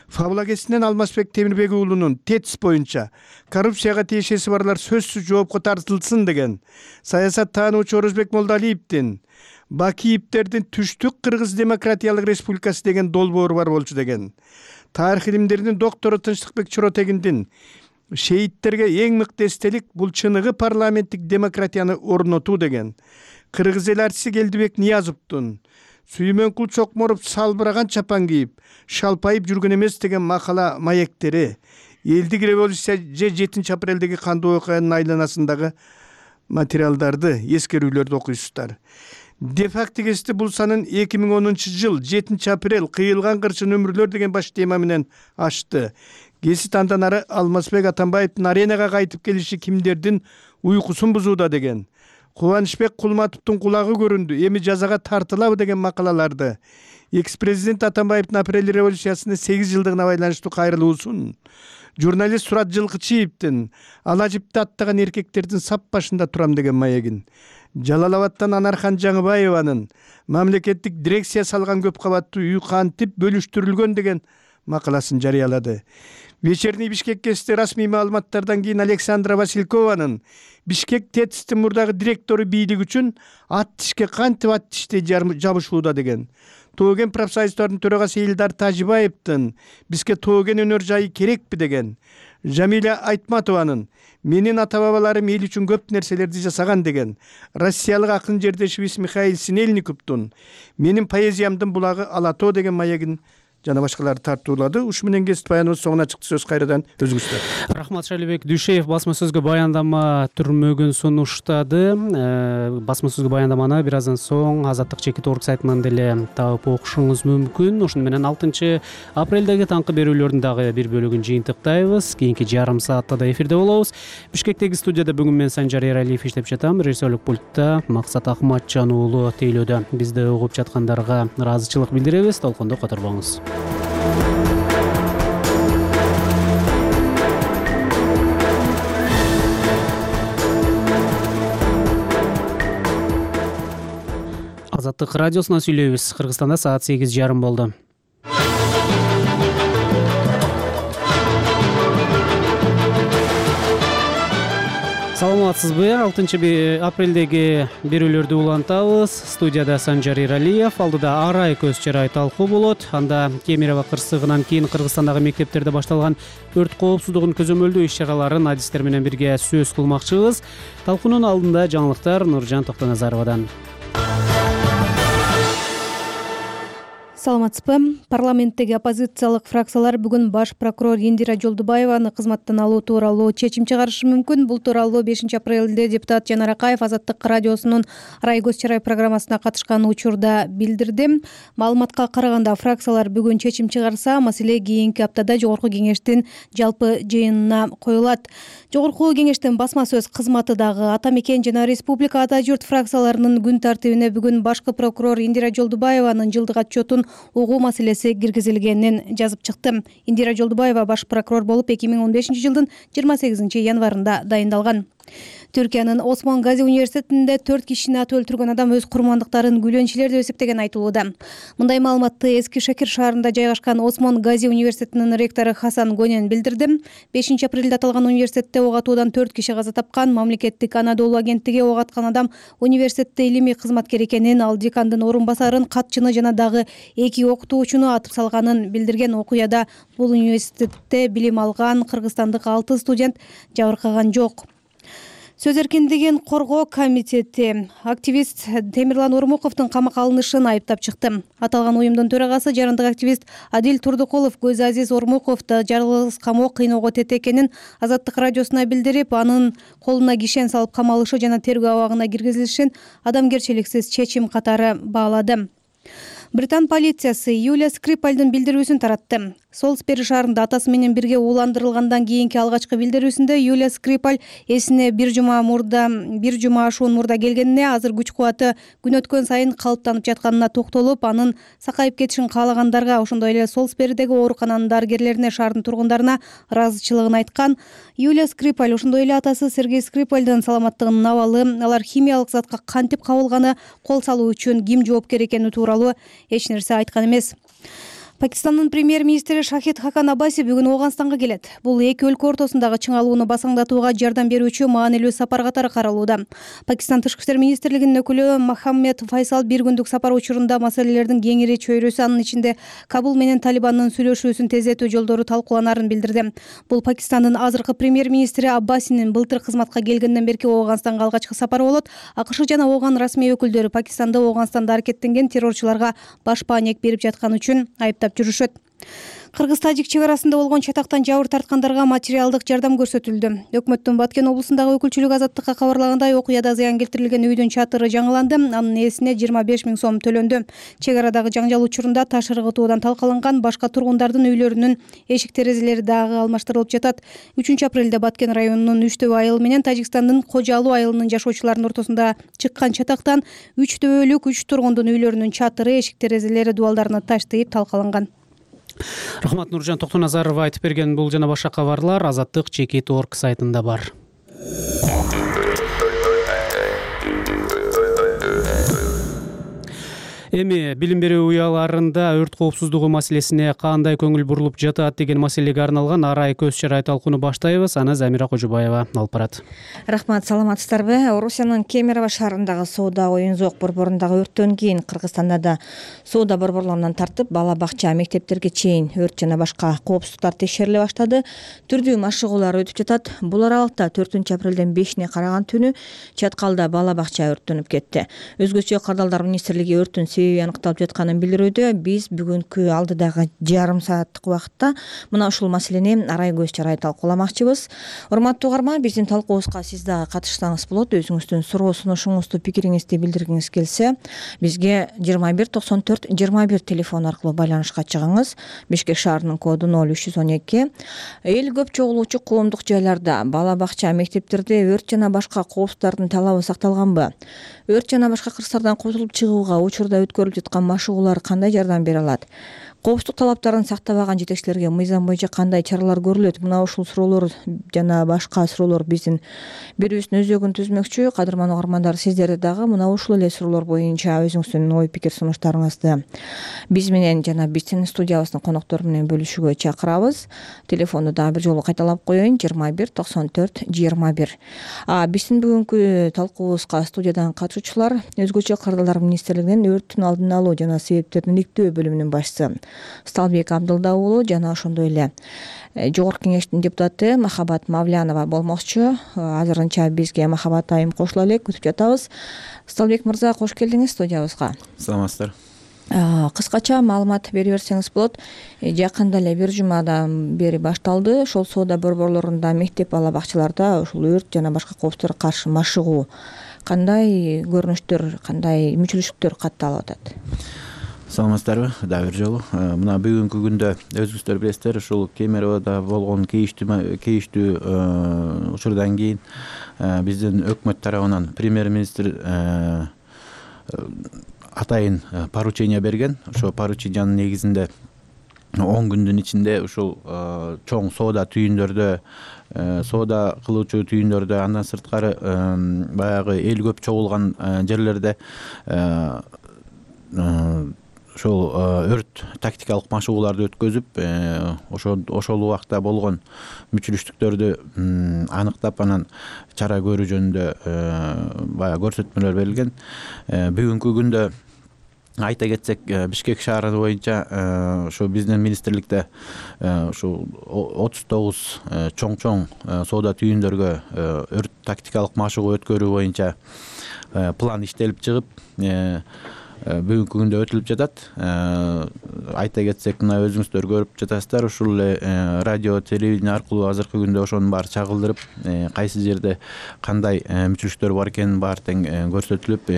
Фабула гезитинен Алмазбек Темирбек уулунун тетис боюнча коррупцияга тиешеси барлар сөзсүз жоопко тартылсын деген. Саясат таануучу Орозбек Молдалиевдин Бакиевдердин түштүк Кыргыз Демократиялык Республикасы деген долбоору бар болчу деген. Тарых илимдеринин доктору Тынчтыкбек Чоротегиндин шеиттерге эң мыкты эстелик бул чыныгы парламенттик демократияны орнотуу деген. Кыргыз эл артиси Келдибек Ниязовдун Сүймөнкул Чокморов салбыраган чапан кийип, шалпайып жүргөн эмес деген макала маектери, элдик революция же жетинчи апрелдеги кандуу окуянын айланасындагы материалдарды, эскерүүлөрдү окуйсуздар. Де-факто гезити бул санын эки миң онунчу жыл жетинчи апрель кыйылган кырчын өмүрлөр деген баш тема менен ачты. Гезит андан ары Алмазбек Атамбаевдин аренага кайтып келиши кимдердин уйкусун бузууда деген. Кубанычбек Кулматовдун кулагы көрүндү, эми жазага тартылабы деген макалаларды. Экс-президент Атамбаевдин апрель революциясынын сегиз жылдыгына байланыштуу кайрылуусун, журналист Сурат Жылкычиевдин ала жипти аттаган эркектердин сап башында турам деген маегин, Жалал-Абадтан Анархан Жаңыбаеванын мамлекеттик дирекция салган көп кабаттуу үй кантип бөлүштүрүлгөн деген макаласын жарыялады. Вечерний Бишкек гезити расмий маалыматтардан кийин Александра Василькованын Бишкек ТЭЦтин мурдагы директору бийлик үчүн ат тишке кантип ат тишти жабышууда деген. Тооген профсоюздардын төрагасы Элдар Тажибаевдин бизге тооген өнөр жайы керекпи деген. Жамиля Айтматованын менин ата-бабаларым эл үчүн көп нерселерди жасаган деген. Россиялык акын жердешибиз Михаил Синельниковдун менин поэзиямдын булагы Алатоо деген маегин жана башкаларды тартуулады. Ушу менен гезит баяныбыз соңуна чыкты. Сөз кайрадан өзүңүздөр. Рахмат Шалибек Дүйшеев басма сөзгө баяндама түрмөгүн сунуштады. Басма сөзгө баяндаманы бир аздан соң Азаттык чекит орг сайтынан деле таап окушуңуз мүмкүн. Ошону менен алтынчы апрелдеги таңкы берүүлөрдүн дагы бир бөлүгүн жыйынтыктайбыз. Кийинки жарым саатта да эфирде болобуз. Бишкектеги студияда бүгүн мен Санжар Эралиев иштеп жатам. Режиссерлук пультта Максат Акматжан уулу тейлөөдө. Бизди угуп жаткандарга ыраазычылык билдиребиз. Толкондо которбоңуз. Азаттык радиосунан сүйлөйбүз. Кыргызстанда саат сегиз жарым болду. Саламатсызбы? алтынчы апрелдеги берүүлөрдү улантабыз. Студияда Санжар Эралиев, алдыда арай көз чарай талкуу болот. Анда Кемерово кырсыгынан кийин Кыргызстандагы мектептерде башталган өрт коопсуздугун көзөмөлдөө иш-чараларын адистер менен бирге сөз кылмакчыбыз. Талкуунун алдында жаңылыктар Нуржан Токтоназаровадан. Саламатсызбы? Парламенттеги оппозициялык фракциялар бүгүн баш прокурор Индира Жолдубаеваны кызматтан алуу тууралуу чечим чыгарышы мүмкүн. Бул тууралуу бешинчи апрелде депутат Жанар Акаев Азаттык радиосунун Арай көз чарай программасына катышкан учурда билдирди. Маалыматка караганда фракциялар бүгүн чечим чыгарса, маселе кийинки аптада жогорку кеңештин жалпы жыйынына коюлат. Жогорку кеңештин басма сөз кызматы дагы Ата мекен жана Республика Ата журт фракцияларынын күн тартибине бүгүн башкы прокурор Индира Жолдубаеванын жылдык отчетун угуу маселеси киргизилгенин жазып чыкты. Индира Жолдубаева баш прокурор болуп эки миң он бешинчи жылдын жыйырма сегизинчи январында дайындалган. Түркиянын Осмон Гази университетинде төрт кишини атып өлтүргөн адам өз курмандыктарын күлөнчүлөр деп эсептеген айтылууда. Мындай маалыматты Эски Шакир шаарында жайгашкан Осмон Гази университетинин ректору Хасан Гонен билдирди. бешинчи апрелде аталган университетте ок атуудан төрт киши каза тапкан. Мамлекеттик Анадолу агенттиги ок аткан адам университетте илимий кызматкер экенин, ал декандын орун басарын, катчыны жана дагы эки окутуучуну атып салганын билдирген. Окуяда бул университетте билим алган кыргызстандык алты студент жабыркаган жок. Сөз эркиндигин коргоо комитети активист Темирлан Ормуковдун камакка алынышын айыптап чыкты. Аталган уюмдун төрагасы жарандык активист Адил Турдукулов Көз Азиз Ормуковду жалгыз камоо кыйноого тете экенин Азаттык радиосуна билдирип, анын колуна кишен салып камалышы жана тергөө абагына киргизилишин адамгерчиликсиз чечим катары баалады. Британ полициясы Юлия Скрипальдын билдирүүсүн таратты. Солсбери шаарында атасы менен бирге ууландырылгандан кийинки алгачкы билдирүүсүндө Юлия Скрипаль эсине бир жума мурда бир жума ашуун мурда келгенине, азыр күч кубаты күн өткөн сайын калыптанып жатканына токтолуп, анын сакайып кетишин каалагандарга, ошондой эле Солсберидеги оорукананын дарыгерлерине, шаардын тургундарына ыраазычылыгын айткан. Юлия Скрипаль ошондой эле атасы Сергей Скрипальдын саламаттыгынын абалы, алар химиялык затка кантип кабылганы, кол салуу үчүн ким жоопкер экени тууралуу эч нерсе айткан эмес. Пакистандын премьер-министри Шахид Хакан Абаси бүгүн Ооганстанга келет. Бул эки өлкө ортосундагы чыңалууну басаңдатууга жардам берүүчү маанилүү сапар катары каралууда. Пакистан Тышкы иштер министрлигинин өкүлү Мохаммед Файсал бир күндүк сапар учурунда маселелердин кеңири чөйрөсү, анын ичинде Кабул менен Талибандын сүйлөшүүсүн тездетүү жолдору талкууланарын билдирди. Бул Пакистандын азыркы премьер-министри Аббасинин былтыр кызматка келгенден берки Ооганстанга алгачкы сапары болот. АКШ жана Ооган расмий өкүлдөрү Пакистанда Ооганстанда аракеттенген террорчуларга баш баанек берип жатканы үчүн айыптап жүрүшөт. Кыргыз-Тажик чек арасында болгон чатактан жабыр тарткандарга материалдык жардам көрсөтүлдү. Өкмөттүн Баткен облусундагы өкүлчүлүгү Азаттыкка кабарлагандай, окуяда зыян келтирилген үйдүн чатыры жаңыланды, анын ээсине жыйырма беш миң сом төлөндү. Чек арадагы жаңжал учурунда таш ыргытуудан талкаланган, башка тургундардын үйлөрүнүн эшик терезелери дагы алмаштырылып жатат. үчүнчү апрелде Баткен районунун Үчтөбө айылы менен Тажикстандын Кожалуу айылынын жашоочуларынын ортосунда чыккан чатактан үч төбөлүк үч тургундун үйлөрүнүн чатыры, эшик терезелери, дубалдарына таш тийип талкаланган. Рахмат. Нуржан Токтоназарова айтып берген бул жана башка кабарлар Азаттык чекит орг сайтында бар. Эми билим берүү уяларында өрт коопсуздугу маселесине кандай көңүл бурулуп жатат деген маселеге арналган арай көз чарай талкууну баштайбыз. Аны Замира Кожубаева алып барат. Рахмат, саламатсыздарбы? Орусиянын Кемерово шаарындагы соода оюн зоок борборундагы өрттөн кийин Кыргызстанда да соода борборлорунан тартып бала бакча, мектептерге чейин өрт жана башка коопсуздуктар текшериле баштады. Түрдүү машыгуулар өтүп жатат. Бул аралыкта төртүнчү апрелден бешине караган түнү Чаткалда бала бакча өрттөнүп кетти. Өзгөчө Кардалдар министрлиги өрттүн себеби аныкталып жатканын билдирүүдө. Биз бүгүнкү алдыдагы жарым сааттык убакытта мына ушул маселени арай көз чарай талкууламакчыбыз. Урматтуу угарман, биздин талкуубузга сиз дагы катышсаңыз болот. Өзүңүздүн суроо сунушуңузду, пикириңизди билдиргиңиз келсе, бизге жыйырма бир токсон төрт жыйырма бир телефон аркылуу байланышка чыгыңыз. Бишкек шаарынын коду ноль үч жүз он эки. Эл көп чогулуучу коомдук жайларда, бала бакча, мектептерде өрт жана башка коопсуздардын талабы сакталганбы? Өрт жана башка кырсыктардан кутулуп чыгууга учурда өткөрүлүп жаткан машыгуулар кандай жардам бере алат? Коопсуздук талаптарын сактабаган жетекчилерге мыйзам боюнча кандай чаралар көрүлөт? Мына ушул суроолор жана башка суроолор биздин берүүбүздүн өзөгүн түзмөкчү. Кадырман угармандар, сиздерди дагы мына ушул эле суроолор боюнча өзүңүздүн ой пикир сунуштарыңызды биз менен жана биздин студиябыздын коноктору менен бөлүшүүгө чакырабыз. Телефонду дагы бир жолу кайталап коеюн: жыйырма бир токсон төрт жыйырма бир. А биздин бүгүнкү талкуубузга студиядан катышуучулар өзгөчө Кардалдар министрлигинин өрттүн алдын алуу жана себептерин иликтөө бөлүмүнүн башчысы Сталбек Абдылда уулу жана ошондой эле Жогорку кеңештин депутаты Махабат Мавлянова болмокчу. Азырынча бизге Махабат айым кошула элек, күтүп жатабыз. Сталбек мырза, кош келдиңиз студиябызга. Саламатсыздар. Кыскача маалымат бере берсеңиз болот. Жакында эле бир жумадан бери башталды. Ошол соода борборлорунда, мектеп, бала бакчаларда ушул өрт жана башка коопсуздарга каршы машыгуу кандай көрүнүштөр, кандай мүчүлүштүктөр катталып атат? Саламатсыздарбы? Дагы бир жолу. Мына бүгүнкү күндө өзүңүздөр билесиздер, ушул Кемероводо болгон кейиштүү кейиштүү учурдан кийин биздин өкмөт тарабынан премьер-министр атайын поручение берген. Ошо поручениянын негизинде он күндүн ичинде ушул чоң соода түйүндөрдө, соода кылуучу түйүндөрдө, андан сырткары баягы эл көп чогулган жерлерде ошол өрт тактикалык машыгууларды өткөзүп, ошол ошол убакта болгон мүчүлүштүктөрдү аныктап, анан чара көрүү жөнүндө баягы көрсөтмөлөр берилген. Бүгүнкү күндө айта кетсек, Бишкек шаары боюнча ошо биздин министрликте ушул отуз тогуз чоң-чоң соода түйүндөргө өрт тактикалык машыгуу өткөрүү боюнча план иштелип чыгып, бүгүнкү күндө өтүлүп жатат. Айта кетсек, мына өзүңүздөр көрүп жатасыздар, ушул эле радио, телевидение аркылуу азыркы күндө ошонун баары чагылдырып, кайсы жерде кандай мүчүлүштүктөр бар экенин баары тең көрсөтүлүп,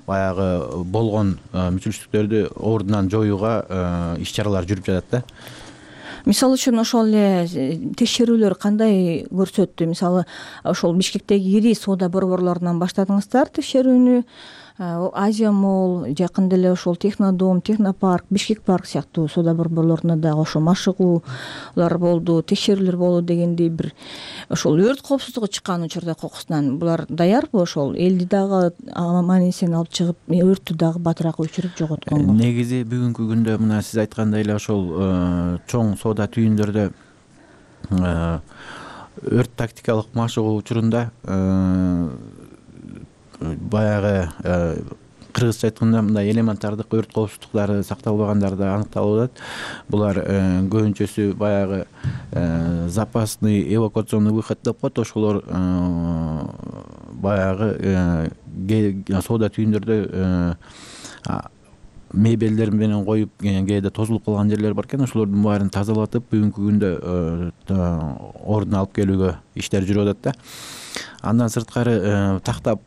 баягы болгон мүчүлүштүктөрдү ордунан жоюуга иш чаралар жүрүп жатат да. Мисалы үчүн ошол эле текшерүүлөр кандай көрсөттү? Мисалы, ошол Бишкектеги ири соода борборлорунан баштадыңыздар текшерүүнү. Азия Молл, жакында эле ошол Технодом, Технопарк, Бишкек парк сыяктуу соода борборлорунда дагы ошо машыгуулар болду, текшерүүлөр болду дегендей бир ошол өрт коопсуздугу чыккан учурда кокусунан булар даярбы? Ошол элди дагы аман эсен алып чыгып, өрттү дагы батыраак өчүрүп жоготконго. Негизи бүгүнкү күндө мына сиз айткандай эле ошол чоң соода түйүндөрдө өрт тактикалык машыгуу учурунда баягы кыргызча айтканда мындай элементардык өрт коопсуздуктары сакталбагандары аныкталып атат. Булар көбүнчөсү баягы запасный эвакуационный выход деп коет. Ошолор баягы соода түйүндөрдө мебелдер менен коюп, кээде тозулуп калган жерлер бар экен. Ошолордун баарын тазалатып, бүгүнкү күндө ордуна алып келүүгө иштер жүрүп атат да. Андан сырткары тактап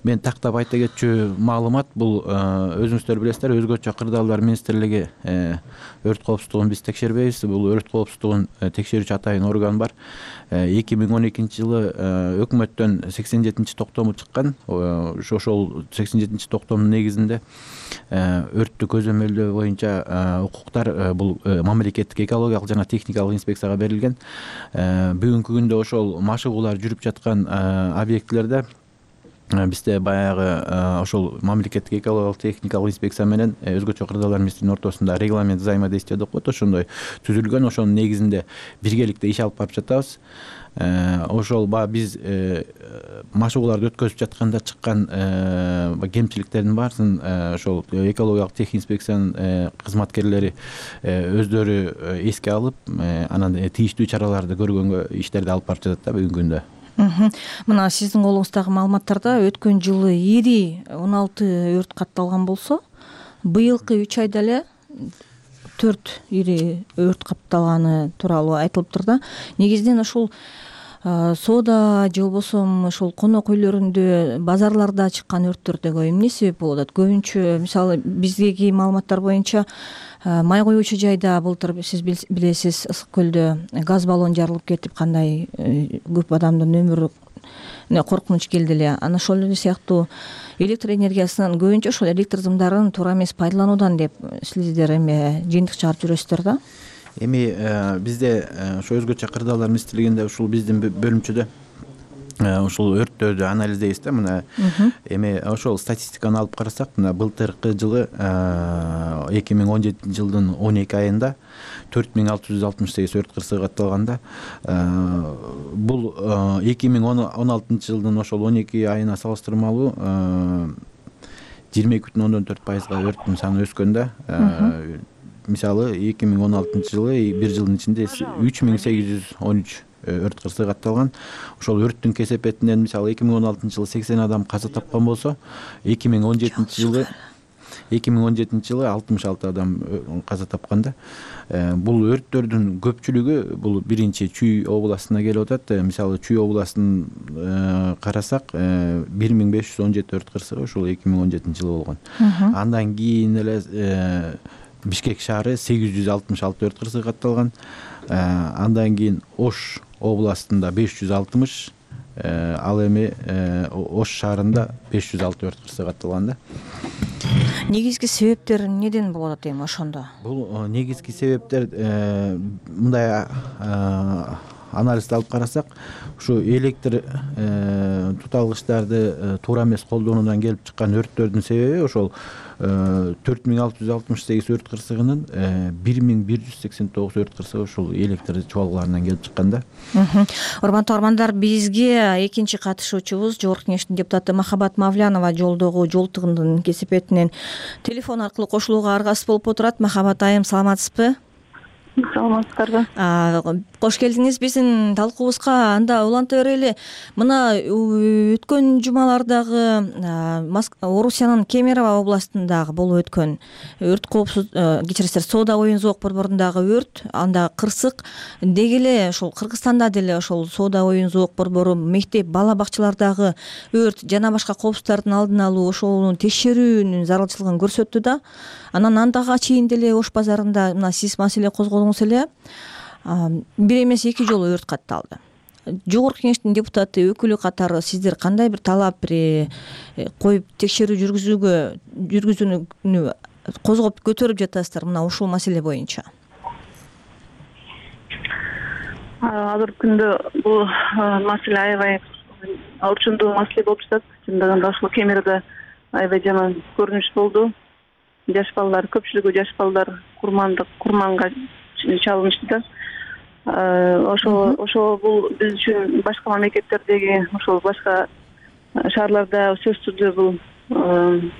мен тактап айта кетчү маалымат, бул өзүңүздөр билесиздер, өзгөчө Кырдаалдар министрлиги өрт коопсуздугун биз текшербейбиз. Бул өрт коопсуздугун текшерүүчү атайын орган бар. эки миң он экинчи жылы өкмөттөн сексен жетинчи токтому чыккан. Ошол сексен жетинчи токтомдун негизинде өрттү көзөмөлдөө боюнча укуктар бул мамлекеттик экологиялык жана техникалык инспекцияга берилген. Бүгүнкү күндө ошол машыгуулар жүрүп жаткан объектилерде бизде баягы ошол мамлекеттик экологиялык техникалык инспекция менен өзгөчө кырдаалар министринин ортосунда регламент взаимодействия деп коет, ошондой түзүлгөн. Ошонун негизинде биргеликте иш алып барып жатабыз. Ошол баягы биз машыгууларды өткөзүп жатканда чыккан кемчиликтердин баарысын ошол экологиялык тех инспекциянын кызматкерлери өздөрү эске алып, анан тийиштүү чараларды көргөнгө иштерди алып барып жатат да бүгүнкү күндө. Мына сиздин колуңуздагы маалыматтарда өткөн жылы ири он алты өрт катталган болсо, быйылкы үч айда эле төрт ири өрт катталганы тууралуу айтылыптыр да. Негизинен ушул соода же болбосо ошол конок үйлөрүндө, базарларда чыккан өрттөрдөгө эмне себеп болуп атат? Көбүнчө мисалы биздеги маалыматтар боюнча май куюучу жайда былтыр сиз билесиз Ысык көлдө газ баллон жарылып кетип, кандай көп адамдын өмүрүнө коркунуч келди эле. Анан ошол эле сыяктуу электр энергиясынын көбүнчө ошол электр сымдарын туура эмес пайдалануудан деп сиздер эме жыйынтык чыгарып жүрөсүздөр да. Эми бизде ошо өзгөчө кырдаалар министрлигинде ушул биздин бөлүмчөдө ушул өрттөрдү анализдейбиз да. Мына эми ошол статистиканы алып карасак, мына былтыркы жылы эки миң он жетинчи жылдын он эки айында төрт миң алты жүз алтымыш сегиз өрт кырсыгы катталганда, бул эки миң он алтынчы жылдын ошол он эки айына салыштырмалуу жыйырма эки бүтүн ондон төрт пайызга өрттүн саны өскөн да. Мисалы эки миң он алтынчы жылы бир жылдын ичинде үч миң сегиз жүз он үч өрт кырсыгы катталган. Ошол өрттүн кесепетинен мисалы эки миң он алтынчы жылы сексен адам каза тапкан болсо, эки миң он жетинчи жылы эки миң он жетинчи жылы алтымыш алты адам каза тапкан да. Бул өрттөрдүн көпчүлүгү бул биринчи Чүй областына келип атат. Мисалы Чүй областын карасак, бир миң беш жүз он жети өрт кырсыгы ушул эки миң он жетинчи жылы болгон. Андан кийин эле Бишкек шаары сегиз жүз алтымыш алты өрт кырсыгы катталган. Андан кийин Ош областында беш жүз алтымыш, ал эми Ош шаарында беш жүз алты өрт кырсыгы катталган да. Негизги себептер неден болуп атат эми ошондо? Бул негизги себептер мындай анализди алып карасак, ушу электр туталгычтарды туура эмес колдонуудан келип чыккан өрттөрдүн себеби ошол төрт миң алты жүз алтымыш сегиз өрт кырсыгынын бир миң бир жүз сексен тогуз өрт кырсыгы ушул электр чубалгыларынан келип чыккан да. Урматтуу угармандар, бизге экинчи катышуучубуз Жогорку Кеңештин депутаты Махабат Мавлянова жолдогу жол тыгындын кесепетинен телефон аркылуу кошулууга аргасыз болуп отурат. Махабат айым, саламатсызбы? Саламатсыздарбы? Кош келдиңиз биздин талкуубузга. Анда уланта берели. Мына өткөн жумалардагы Орусиянын Кемерово областындагы болуп өткөн өрт коопсуз, кечиресиздер, соода оюн зоок борборундагы өрт, анда кырсык, деги эле ошол Кыргызстанда деле ошол соода оюн зоок борбору, мектеп, бала бакчалардагы өрт жана башка коопсуздуктардын алдын алуу, ошонун текшерүүнүн зарылчылыгын көрсөттү да. Анан андага чейин деле Ош базарында мына сиз маселе козгодуңуз эле. Бир эмес эки жолу өрт катталды. Жогорку Кеңештин депутаты өкүлү катары сиздер кандай бир талап бир коюп текшерүү жүргүзүүгө жүргүзүүнү козгоп көтөрүп жатасыздар мына ушул маселе боюнча? Азыркы күндө бул маселе аябай орчундуу маселе болуп жатат. Чындыгында ушул Кемероодо аябай жаман көрүнүш болду. Жаш балдар, көпчүлүгү жаш балдар курмандык курманга чалынышты да. Ошо ошо бул биз үчүн башка мамлекеттердеги, ошол башка шаарларда сөзсүз түрдө бул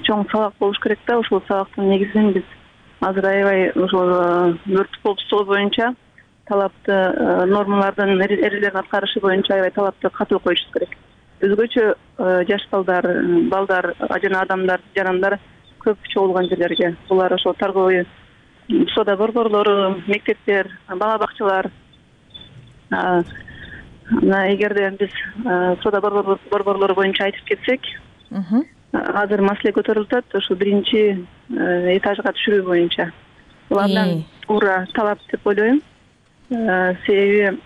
чоң сабак болуш керек да. Ошол сабактын негизинен биз азыр аябай ошол өрт коопсуздугу боюнча талапты нормалардын эрежелерин аткарышы боюнча аябай талапты катуу коюшубуз керек. Өзгөчө жаш балдар, балдар жана адамдар, жарандар көп чогулган жерлерге, булар ошол торговый соода борборлору, мектептер, бала бакчалар. Мына эгерде биз соода борборлору боюнча айтып кетсек, азыр маселе көтөрүлүп атат ошо биринчи этажга түшүрүү боюнча. Бул абдан туура талап деп ойлойм. Себеби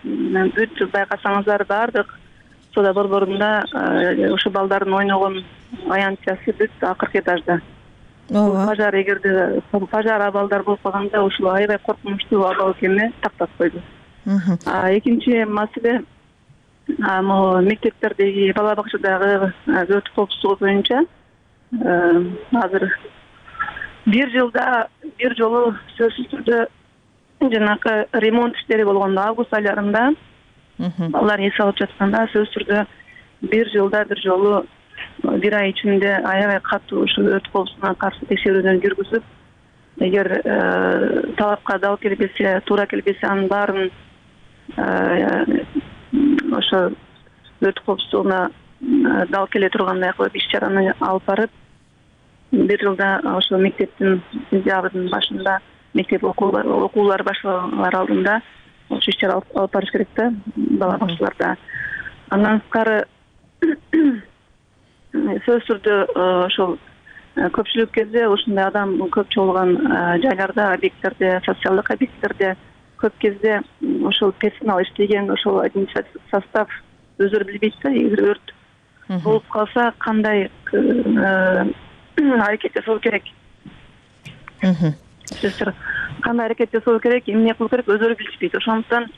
бүт байкасаңыздар баардык соода борборунда ошо балдардын ойногон аянтчасы бүт акыркы этажда. Пожар, эгерде пожар абалдар болуп калганда ушул аябай коркунучтуу абал экенине тактап койду. А экинчи маселе могу мектептердеги бала бакчадагы өрт коопсуздугу боюнча азыр бир жылда бир жолу сөзсүз түрдө жанакы ремонт иштери болгондо август айларында балдар эс алып жатканда сөзсүз түрдө бир жылда бир жолу бир ай ичинде аябай катуу ушул өрт коопсуздугуна каршы текшерүүдөн жүргүзүп, эгер талапка дал келбесе, туура келбесе, анын баарын ошо өрт коопсуздугуна дал келе тургандай кылып иш чараны алып барып, бир жылда ошо мектептин сентябрдын башында мектеп окуулары башталар алдында ошо иш чара алып барыш керек да бала бакчаларда. Андан сырткары сөзсүз түрдө ошол көпчүлүк кезде ушундай адам көп чогулган жайларда, объекттерде, социалдык объекттерде көп кезде ошол персонал иштеген ошол административдик состав өздөрү билбейт да, эгер өрт болуп калса кандай аракет жасоо керек, кандай аракет жасоо керек, эмне кылуу керек өздөрү билишпейт. Ошондуктан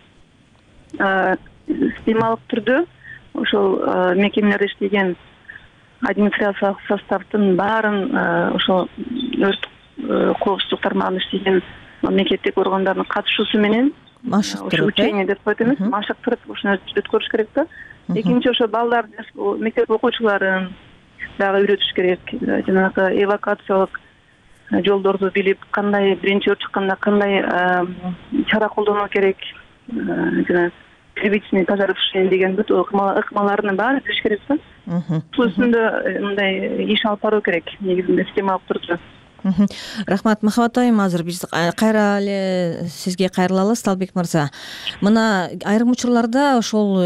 системалык түрдө ошол мекемелерде иштеген администрациялык составдын баарын ошол өрт коопсуздук тармагында иштеген мамлекеттик органдардын катышуусу менен машыктырып, учение деп коет эмес, машыктырып ушуну өткөрүш керек да. Экинчи ошо балдар, мектеп окуучуларын дагы үйрөтүш керек, жанагы эвакуациялык жолдорду билип, кандай биринчи өрт чыкканда кандай чара колдонуу керек, жана первичный пожаротушение деген бүт ыкмаларынын баарын билиш керек да. Бул үстүндө мындай иш алып баруу керек, негизинде системалык түрдө. Рахмат, Махабат айым, азыр биз кайра эле сизге кайрылалы, Сталбек мырза. Мына айрым учурларда ошол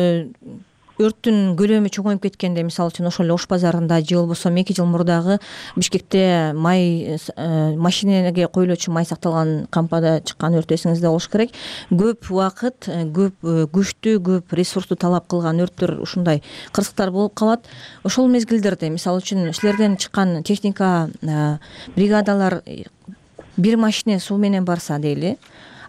өрттүн көлөмү чоңоюп кеткенде, мисалы үчүн ошол эле Ош базарында же болбосо эки жыл мурдагы Бишкекте май машинеге коюлуучу май сакталган кампада чыккан өрт эсиңизде болуш керек. Көп убакыт, көп күчтү, көп ресурсту талап кылган өрттөр, ушундай кырсыктар болуп калат. Ошол мезгилдерде мисалы үчүн силерден чыккан техника, бригадалар бир машине суу менен барса дейли,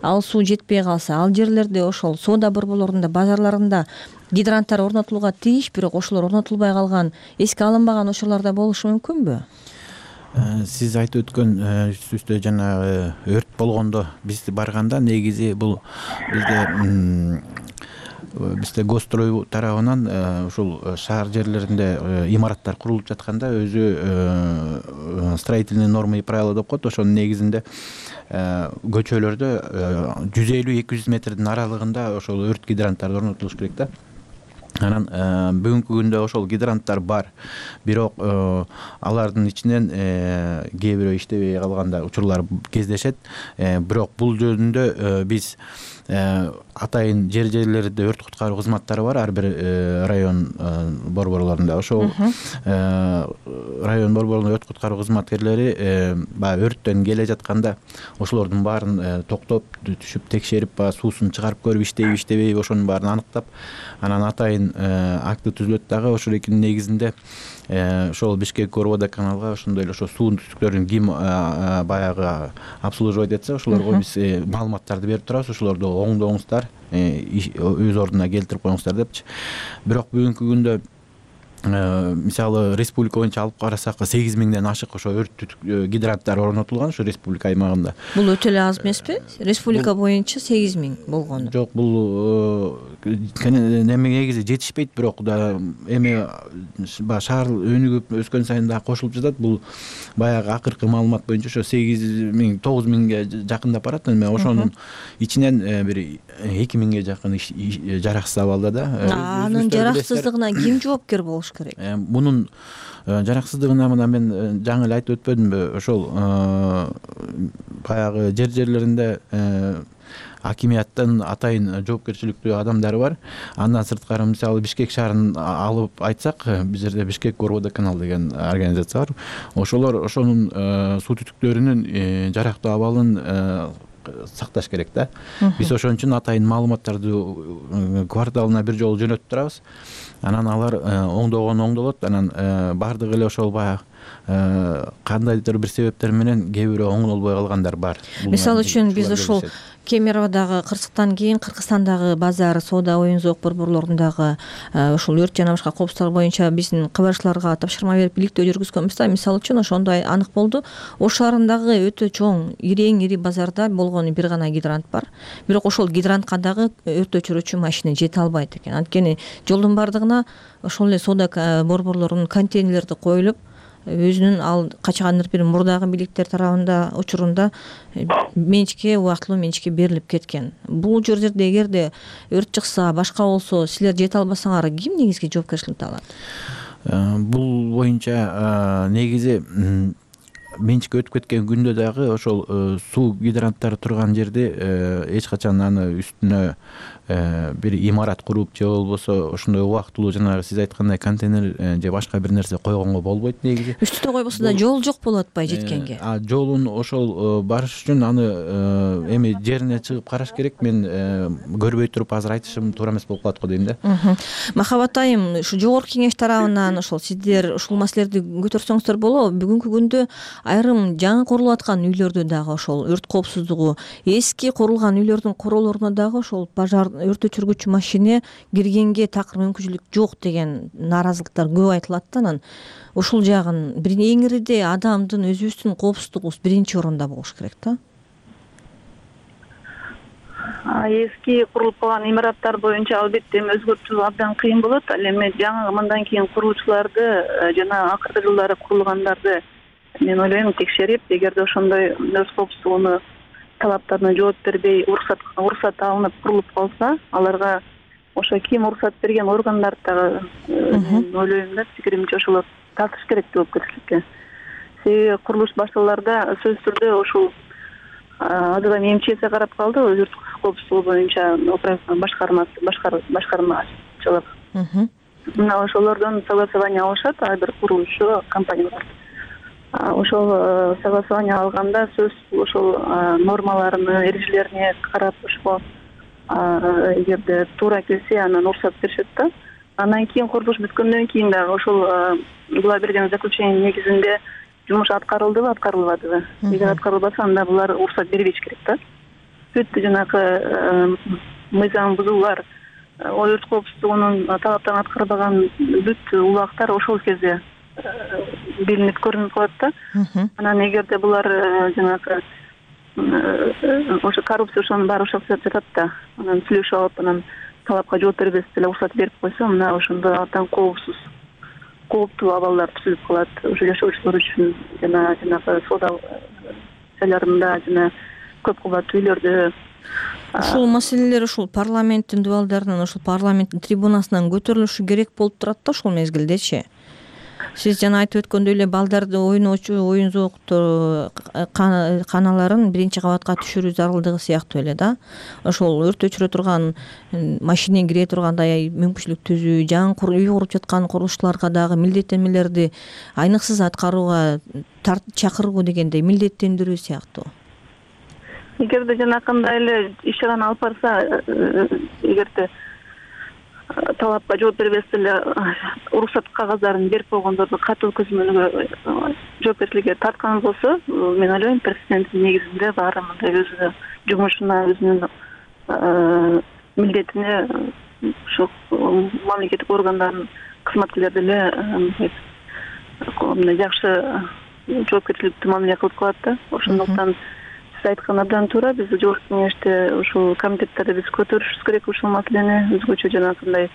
ал суу жетпей калса, ал жерлерде ошол соода борборлорунда, базарларында гидранттар орнотулууга тийиш, бирок ошолор орнотулбай калган, эске алынбаган ошолорда болушу мүмкүнбү? Сиз айтып өткөн түстө жанагы өрт болгондо биз барганда негизи бул бизде бизде Госстрой тарабынан ушул шаар жерлеринде имараттар курулуп жатканда өзү строительные нормы и правила деп коет. Ошонун негизинде көчөлөрдө жүз элүү эки жүз метрдин аралыгында ошол өрт гидранттары орнотулуш керек да. Анан бүгүнкү күндө ошол гидранттар бар, бирок алардын ичинен кээ бирөө иштебей калганда учурлар кездешет. Бирок бул жөнүндө биз атайын жер жерлерде өрт куткаруу кызматтары бар, ар бир район борборлорунда. Ошол район борборлорунун өрт куткаруу кызматкерлери баягы өрттөн келе жатканда ошолордун баарын токтоп, түшүп текшерип, баягы суусун чыгарып көрүп, иштейби, иштебейби ошонун баарын аныктап, анан атайын акты түзүлөт дагы. Ошол экинин негизинде ошол Бишкек Горводоканалга ошондой эле ошо суунун түтүктөрүн ким баягы обслуживать этсе, ошолорго биз маалыматтарды берип турабыз. Ошолорду оңдоңуздар, өз ордуна келтирип коюңуздар депчи. Бирок бүгүнкү күндө мисалы республика боюнча алып карасак сегиз миңден ашык ошо өрт гидранттар орнотулган ушу республика аймагында. Бул өтө эле аз эмеспи? Республика боюнча сегиз миң болгону. Жок, бул неме негизи жетишпейт, бирок да эми баягы шаар өнүгүп өскөн сайын да кошулуп жатат. Бул баягы акыркы маалымат боюнча ошо сегиз миң тогуз миңге жакындап барат. Эми ошонун ичинен бир эки миңге жакын жараксыз абалда да. Анын жараксыздыгына ким жоопкер болуш керек? Мунун жараксыздыгына мына мен жаңы эле айтып өтпөдүмбү? Ошол баягы жер жерлеринде акимияттын атайын жоопкерчиликтүү адамдары бар. Андан сырткары мисалы Бишкек шаарын алып айтсак, бизде Бишкек Горводоканал деген организация бар. Ошолор ошонун суу түтүктөрүнүн жарактуу абалын сакташ керек да. Биз ошон үчүн атайын маалыматтарды кварталына бир жолу жөнөтүп турабыз. Анан алар оңдогон оңдолот. Анан бардыгы эле ошол баягы кандайдыр бир себептер менен кээ бирөө оңолбой калгандар бар. Мисалы үчүн биз ушул Кемеровдагы Кыргызстан кийин Кыргызстандагы базар, соода, оюн зоок борборлорундагы ушул өрт жана башка коопсуздук боюнча биздин кабарчыларга тапшырма берип иликтөө жүргүзгөнбүз да. Мисалы үчүн ошондой анык болду. Ош шаарындагы өтө чоң, ирең ири базарда болгону бир гана гидрант бар. Бирок ошол гидрантка дагы өрт өчүрүүчү машина жете албайт экен. Анткени жолдун бардыгына ошол эле соода борборлорунун контейнерлери коюлуп, өзүнүн ал качкандыр бир мурдагы бийликтер тарабында учурунда менчикке, убактылуу менчикке берилип кеткен. Бул жерлерде эгерде өрт чыкса, башка болсо, силер жете албасаңар, ким негизги жоопкерчиликти алат? Бул боюнча негизи менчикке өтүп кеткен күндө дагы ошол суу гидранттары турган жерде эч качан аны үстүнө бир имарат куруп же болбосо ошондой убактылуу жанагы сиз айткандай контейнер же башка бир нерсе койгонго болбойт негизи. Үстүндө койбосо да жол жок болуп атпайбы жеткенге? А жолун ошол барыш үчүн аны эми жерине чыгып караш керек. Мен көрбөй туруп азыр айтышым туура эмес болуп калат го дейм да. Махабат айым, ушу жогорку кеңеш тарабынан ошол сиздер ушул маселелерди көтөрсөңүздөр болобу? Бүгүнкү күндө айрым жаңы курулуп аткан үйлөрдө дагы ошол өрт коопсуздугу, эски курулган үйлөрдүн короолоруна дагы ошол пожар өрт өчүргүч машине киргенге такыр мүмкүнчүлүк жок деген нааразылыктар көп айтылат да. Анан ушул жагын бир эң ириде адамдын өзүбүздүн коопсуздугубуз биринчи орунда болуш керек да. Эски курулуп калган имараттар боюнча албетте эми өзгөртүү абдан кыйын болот. Ал эми жаңы мындан кийин курулуучуларды жана акыркы жылдары курулгандарды мен ойлойм текшерип, эгерде ошондой өз коопсуздугуна талаптарына жооп бербей, уруксат уруксат алынып курулуп калса, аларга ошо ким уруксат берген органдар дагы ойлойм да, пикиримче ошолор тартыш керек жоопкерчиликке. Себеби курулуш башталарда сөзсүз түрдө ушул азыр эми МЧС карап калды, өрт коопсуздугу боюнча башкармасы башкармачылык. Мына ошолордон согласование алышат ар бир курулуучу компаниялар. Ошол согласование алганда сөз ошол нормаларыны, эрежелерине карап, ошол эгерде туура келсе, анан уруксат беришет да. Андан кийин курулуш бүткөндөн кийин дагы ошол була берген заключение негизинде жумуш аткарылдыбы, аткарылбадыбы? Эгер аткарылбаса, анда булар уруксат бербеш керек да. Бүт жанагы мыйзам бузуулар, өрт коопсуздугунун талаптарын аткарбаган бүт убактар ошол кезде билинип көрүнүп калат да. Анан эгерде булар жанагы ошо коррупция ошонун баары ошол жатат да. Анан сүйлөшүп алып, анан талапка жооп бербес деле уруксат берип койсо, мына ошондо абдан коопсуз, кооптуу абалдар түзүлүп калат. Ошо жашоочулар үчүн жана жанагы соода жайларында жана көп кабаттуу үйлөрдө. Ушул маселелер ушул парламенттин дубалдарынан, ушул парламенттин трибунасынан көтөрүлүшү керек болуп турат да ушул мезгилдечи. Сиз жана айтып өткөндөй эле балдарды ойноочу оюн зооктор каналарын биринчи кабатка түшүрүү зарылдыгы сыяктуу эле да. Ошол өрт өчүрө турган машина кире тургандай мүмкүнчүлүк түзүү, жаңы үй куруп жаткан курулушчуларга дагы милдеттенмелерди айныксыз аткарууга чакыруу дегендей милдеттендирүү сыяктуу. Эгерде жанакындай эле иш чараны алып барса, эгерде талапка жооп бербес деле уруксат кагаздарын берип койгондорду катуу көзөмөлгө жоопкерчиликке тарткан болсо, мен ойлойм президенттин негизинде баары мындай өзүнүн жумушуна, өзүнүн милдетине ошо мамлекеттик органдардын кызматкерлери деле мындай жакшы жоопкерчиликтүү мамиле кылып калат да. Ошондуктан айткан абдан туура, биз жогорку кеңеште ушул комитеттерде биз көтөрүшүбүз керек ушул маселени. Өзгөчө жанагындай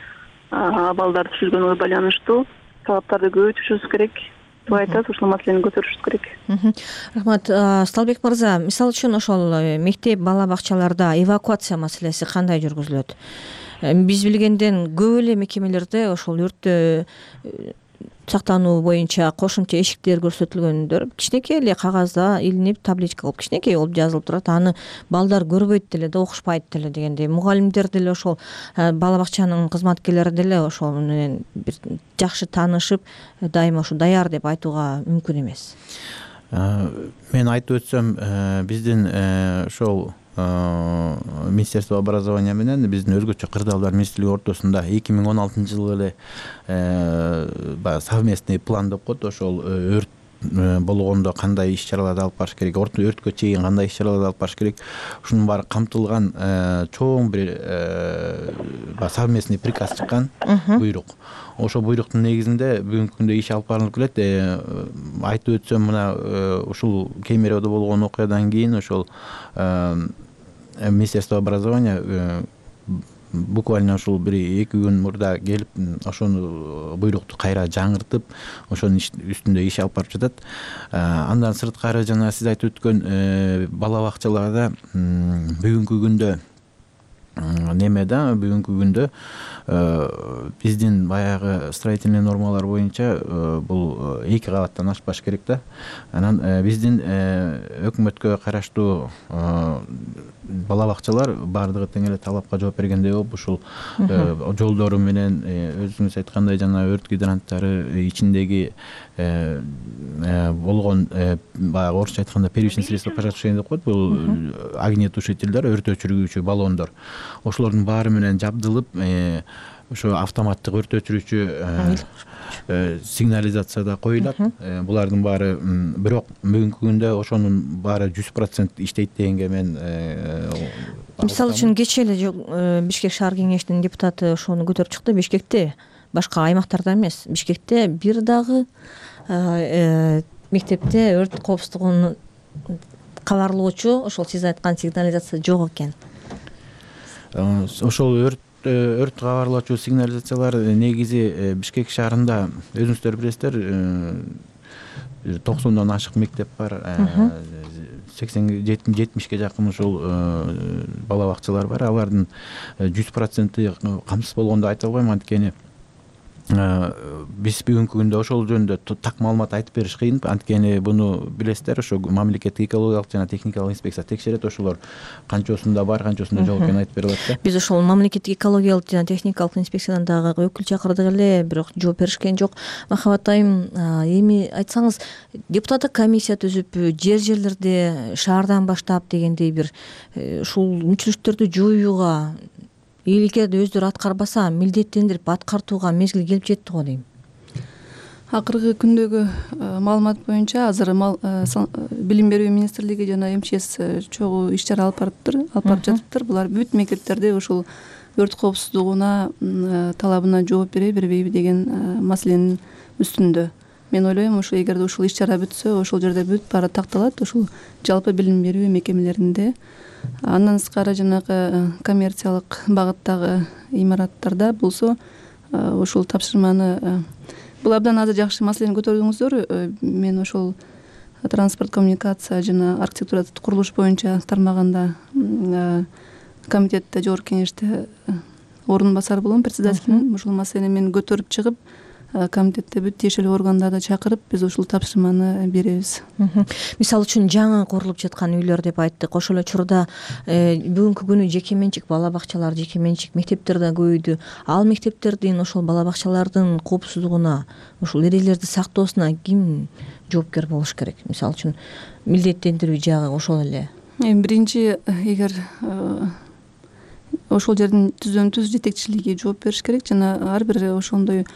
абалдар түзүлгөнгө байланыштуу талаптарды көбөйтүшүбүз керек. Туура айтасыз, ушул маселени көтөрүшүбүз керек. Рахмат. Сталбек мырза, мисалы үчүн ошол мектеп, бала бакчаларда эвакуация маселеси кандай жүргүзүлөт? Биз билгенден көп эле мекемелерде ошол өрттө сактануу боюнча кошумча эшиктер көрсөтүлгөндөр кичинекей эле кагазда илинип, табличка кылып кичинекей болуп жазылып турат. Аны балдар көрбөйт деле да, окушпайт деле дегендей. Мугалимдер деле ошол бала бакчанын кызматкерлери деле ошол менен бир жакшы таанышып, дайыма ушу даяр деп айтууга мүмкүн эмес. Мен айтып өтсөм, биздин ошол Министерство образования менен биздин өзгөчө кырдаалдар министрлиги ортосунда эки миң он алтынчы жылы эле совместный план деп коет. Ошол өрт болгондо кандай иш чараларды алып барыш керек, өрткө чейин кандай иш чараларды алып барыш керек, ушунун баары камтылган чоң бир совместный приказ чыккан, буйрук. Ошо буйруктун негизинде бүгүнкү күндө иш алып барылып келет. Айтып өтсөм, мына ушул Кемеровдо болгон окуядан кийин ошол Министерство образования буквально ушул бир эки күн мурда келип, ошону буйрукту кайра жаңыртып, ошонун үстүндө иш алып барып жатат. Андан сырткары жана сиз айтып өткөн бала бакчаларда бүгүнкү күндө неме да, бүгүнкү күндө биздин баягы строительный нормалар боюнча бул эки кабаттан ашпаш керек да. Анан биздин өкмөткө караштуу бала бакчалар баардыгы тең эле талапка жооп бергендей болуп, ушул жолдору менен өзүңүз айткандай жана өрт гидранттары ичиндеги болгон баягы орусча айтканда первичный средства пожаротушения деп коет, бул огнетушительдер, өрт өчүргүүчү баллондор. Ошолордун баары менен жабдылып, ошо автоматтык өрт өчүрүүчү сигнализацияда коюлат. Булардын баары, бирок бүгүнкү күндө ошонун баары жүз процент иштейт дегенге мен мисалы үчүн кечээ эле Бишкек шаар кеңешинин депутаты ошону көтөрүп чыкты. Бишкекте, башка аймактарда эмес, Бишкекте бир дагы мектепте өрт коопсуздугун кабарлоочу ошол сиз айткан сигнализация жок экен. Ошол өрт өрт кабарлоочу сигнализациялар негизи Бишкек шаарында өзүңүздөр билесиздер, токсондон ашык мектеп бар, сексен жетимишке жакын ушул бала бакчалар бар. Алардын жүз проценти камсыз болгондо айта албайм, анткени биз бүгүнкү күндө ошол жөнүндө так маалымат айтып бериш кыйын, анткени буну билесиздер, ошо мамлекеттик экологиялык жана техникалык инспекция текшерет, ошолор канчосунда бар, канчосунда жок экенин айтып бере алат да. Биз ошол мамлекеттик экологиялык жана техникалык инспекциядан дагы өкүл чакырдык эле, бирок жооп беришкен жок. Махабат айым, эми айтсаңыз, депутаттык комиссия түзүп, жер жерлерде шаардан баштап дегендей бир ушул мүчүлүштөрдү жоюуга, эгерде өздөрү аткарбаса, милдеттендирип аткартууга мезгил келип жетти го дейм. Акыркы күндөгү маалымат боюнча азыр билим берүү министрлиги жана МЧС чогуу иш чара алып барыптыр, алып барып жатыптыр. Булар бүт мектептерде ушул өрт коопсуздугуна талабына жооп береби, бербейби деген маселенин үстүндө. Мен ойлойм, ушул эгерде ушул иш чара бүтсө, ошол жерде бүт баары такталат, ушул жалпы билим берүү мекемелеринде. Андан сырткары жанагы коммерциялык багыттагы имараттарда болсо, ушул тапшырманы, бул абдан азыр жакшы маселени көтөрдүңүздөр. Мен ошол транспорт, коммуникация жана архитектура курулуш боюнча тармагында комитетте, жогорку кеңеште орун басар болом, председателинин. Ушул маселени мен көтөрүп чыгып, комитетте бүт тиешелүү органдарды чакырып, биз ушул тапшырманы беребиз. Мисалы үчүн жаңы курулуп жаткан үйлөр деп айттык. Ошол эле учурда бүгүнкү күнү жеке менчик бала бакчалар, жеке менчик мектептер да көбөйдү. Ал мектептердин, ошол бала бакчалардын коопсуздугуна, ушул эрежелерди сактоосуна ким жоопкер болуш керек? Мисалы үчүн милдеттендирүү жагы ошол эле. Биринчи, эгер ошол жердин түздөн түз жетекчилиги жооп бериш керек, жана ар бир ошондой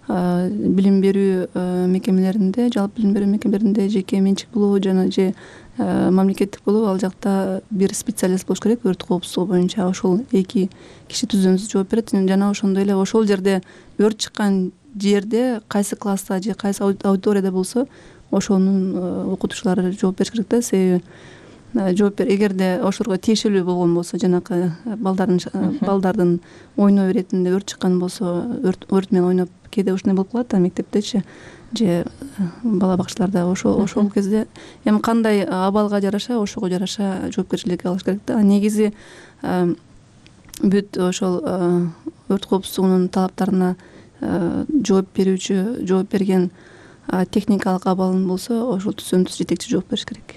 билим берүү мекемелеринде, жалпы билим берүү мекемелеринде жеке менчик болобу жана же мамлекеттик болобу, ал жакта бир специалист болуш керек өрт коопсуздугу боюнча. Ошол эки киши түздөн түз жооп берет. Жана ошондой эле ошол жерде өрт чыккан жерде кайсы класста же кайсы аудиторияда болсо, ошонун окутуучулары жооп бериш керек да. Себеби жооп бер, эгерде ошолорго тиешелүү болгон болсо, жанакы балдардын балдардын ойноо иретинде өрт чыккан болсо, өрт менен ойноп кээде ушундай болуп калат да мектептечи же бала бакчаларда. Ошол ошол кезде эми кандай абалга жараша, ошого жараша жоопкерчилик алыш керек да. Негизи бүт ошол өрт коопсуздугунун талаптарына жооп берүүчү, жооп берген техникалык абалын болсо, ошол түздөн түз жетекчи жооп бериш керек.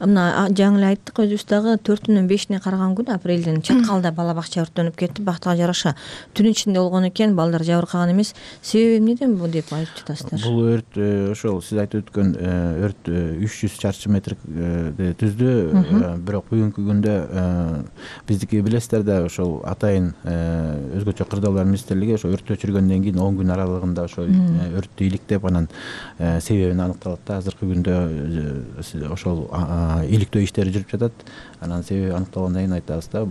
Мына жаңы эле айттык өзүбүз дагы төртүнөн бешине караган күнү апрелдин чаткалда бала бакча өрттөнүп кетти. Бактыга жараша түн ичинде болгон экен, балдар жабыркаган эмес. Себеби эмнеден бул деп айтып жатасыздар? Бул өрт ошол сиз айтып өткөн өрт үч жүз чарчы метрди түздү. Бирок бүгүнкү күндө биздики билесиздер да, ошол атайын өзгөчө кырдаалар министрлиги ошо өрт өчүргөндөн кийин он күн аралыгында ошо өрттү иликтеп, анан себебин аныкталат да. Азыркы күндө ошол иликтөө иштери жүрүп жатат. Анан себеби аныкталгандан кийин айтабыз да.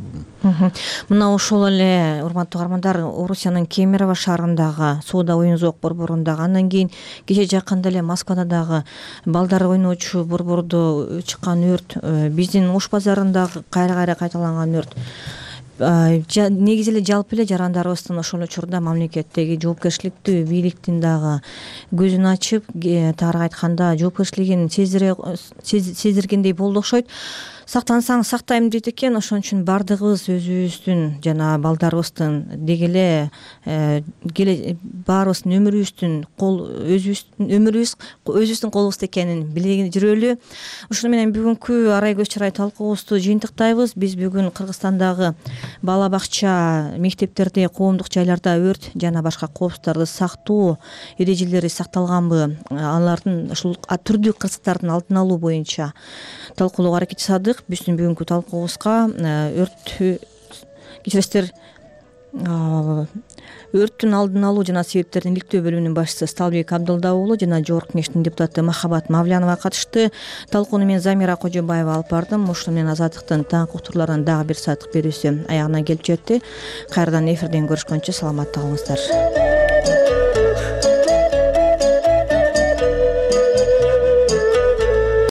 Мына ошол эле урматтуу угармандар, Орусиянын Кемерово шаарындагы соода оюн зоок борборундагы, андан кийин кече жакында эле Москвада дагы балдар ойночу борбордо чыккан өрт, биздин Ош базарындагы кайра кайра кайталанган өрт, негизи эле жалпы эле жарандарыбыздын ошол учурда мамлекеттеги жоопкерчиликтүү бийликтин дагы көзүн ачып, таарык айтканда жоопкерчилигин сездиргендей болду окшойт. Сактансаң сактайм дейт экен. Ошон үчүн баардыгыбыз өзүбүздүн жана балдарыбыздын деги эле баарыбыздын өмүрүбүздүн кол өзүбүздүн өмүрүбүз өзүбүздүн колубузда экенин биле жүрөлү. Ошону менен бүгүнкү арай көз чарай талкуубузду жыйынтыктайбыз. Биз бүгүн Кыргызстандагы бала бакча, мектептерде, коомдук жайларда өрт жана башка коопсуздуктарды сактоо эрежелери сакталганбы, алардын ушул түрдүү кырсыктардын алдын алуу боюнча талкуулоого аракет жасадык. Биздин бүгүнкү талкуубузга өрт кечиресиздер өрттүн алдын алуу жана себептерин иликтөө бөлүмүнүн башчысы Сталбек Абдылда уулу жана жогорку кеңештин депутаты Махабат Мавлянова катышты. Талкууну мен Замира Кожобаева алып бардым. Ушуну менен Азаттыктын таңкы уктурууларынын дагы бир сааттык берүүсү аягына келип жетти. Кайрадан эфирден көрүшкөнчө саламатта калыңыздар.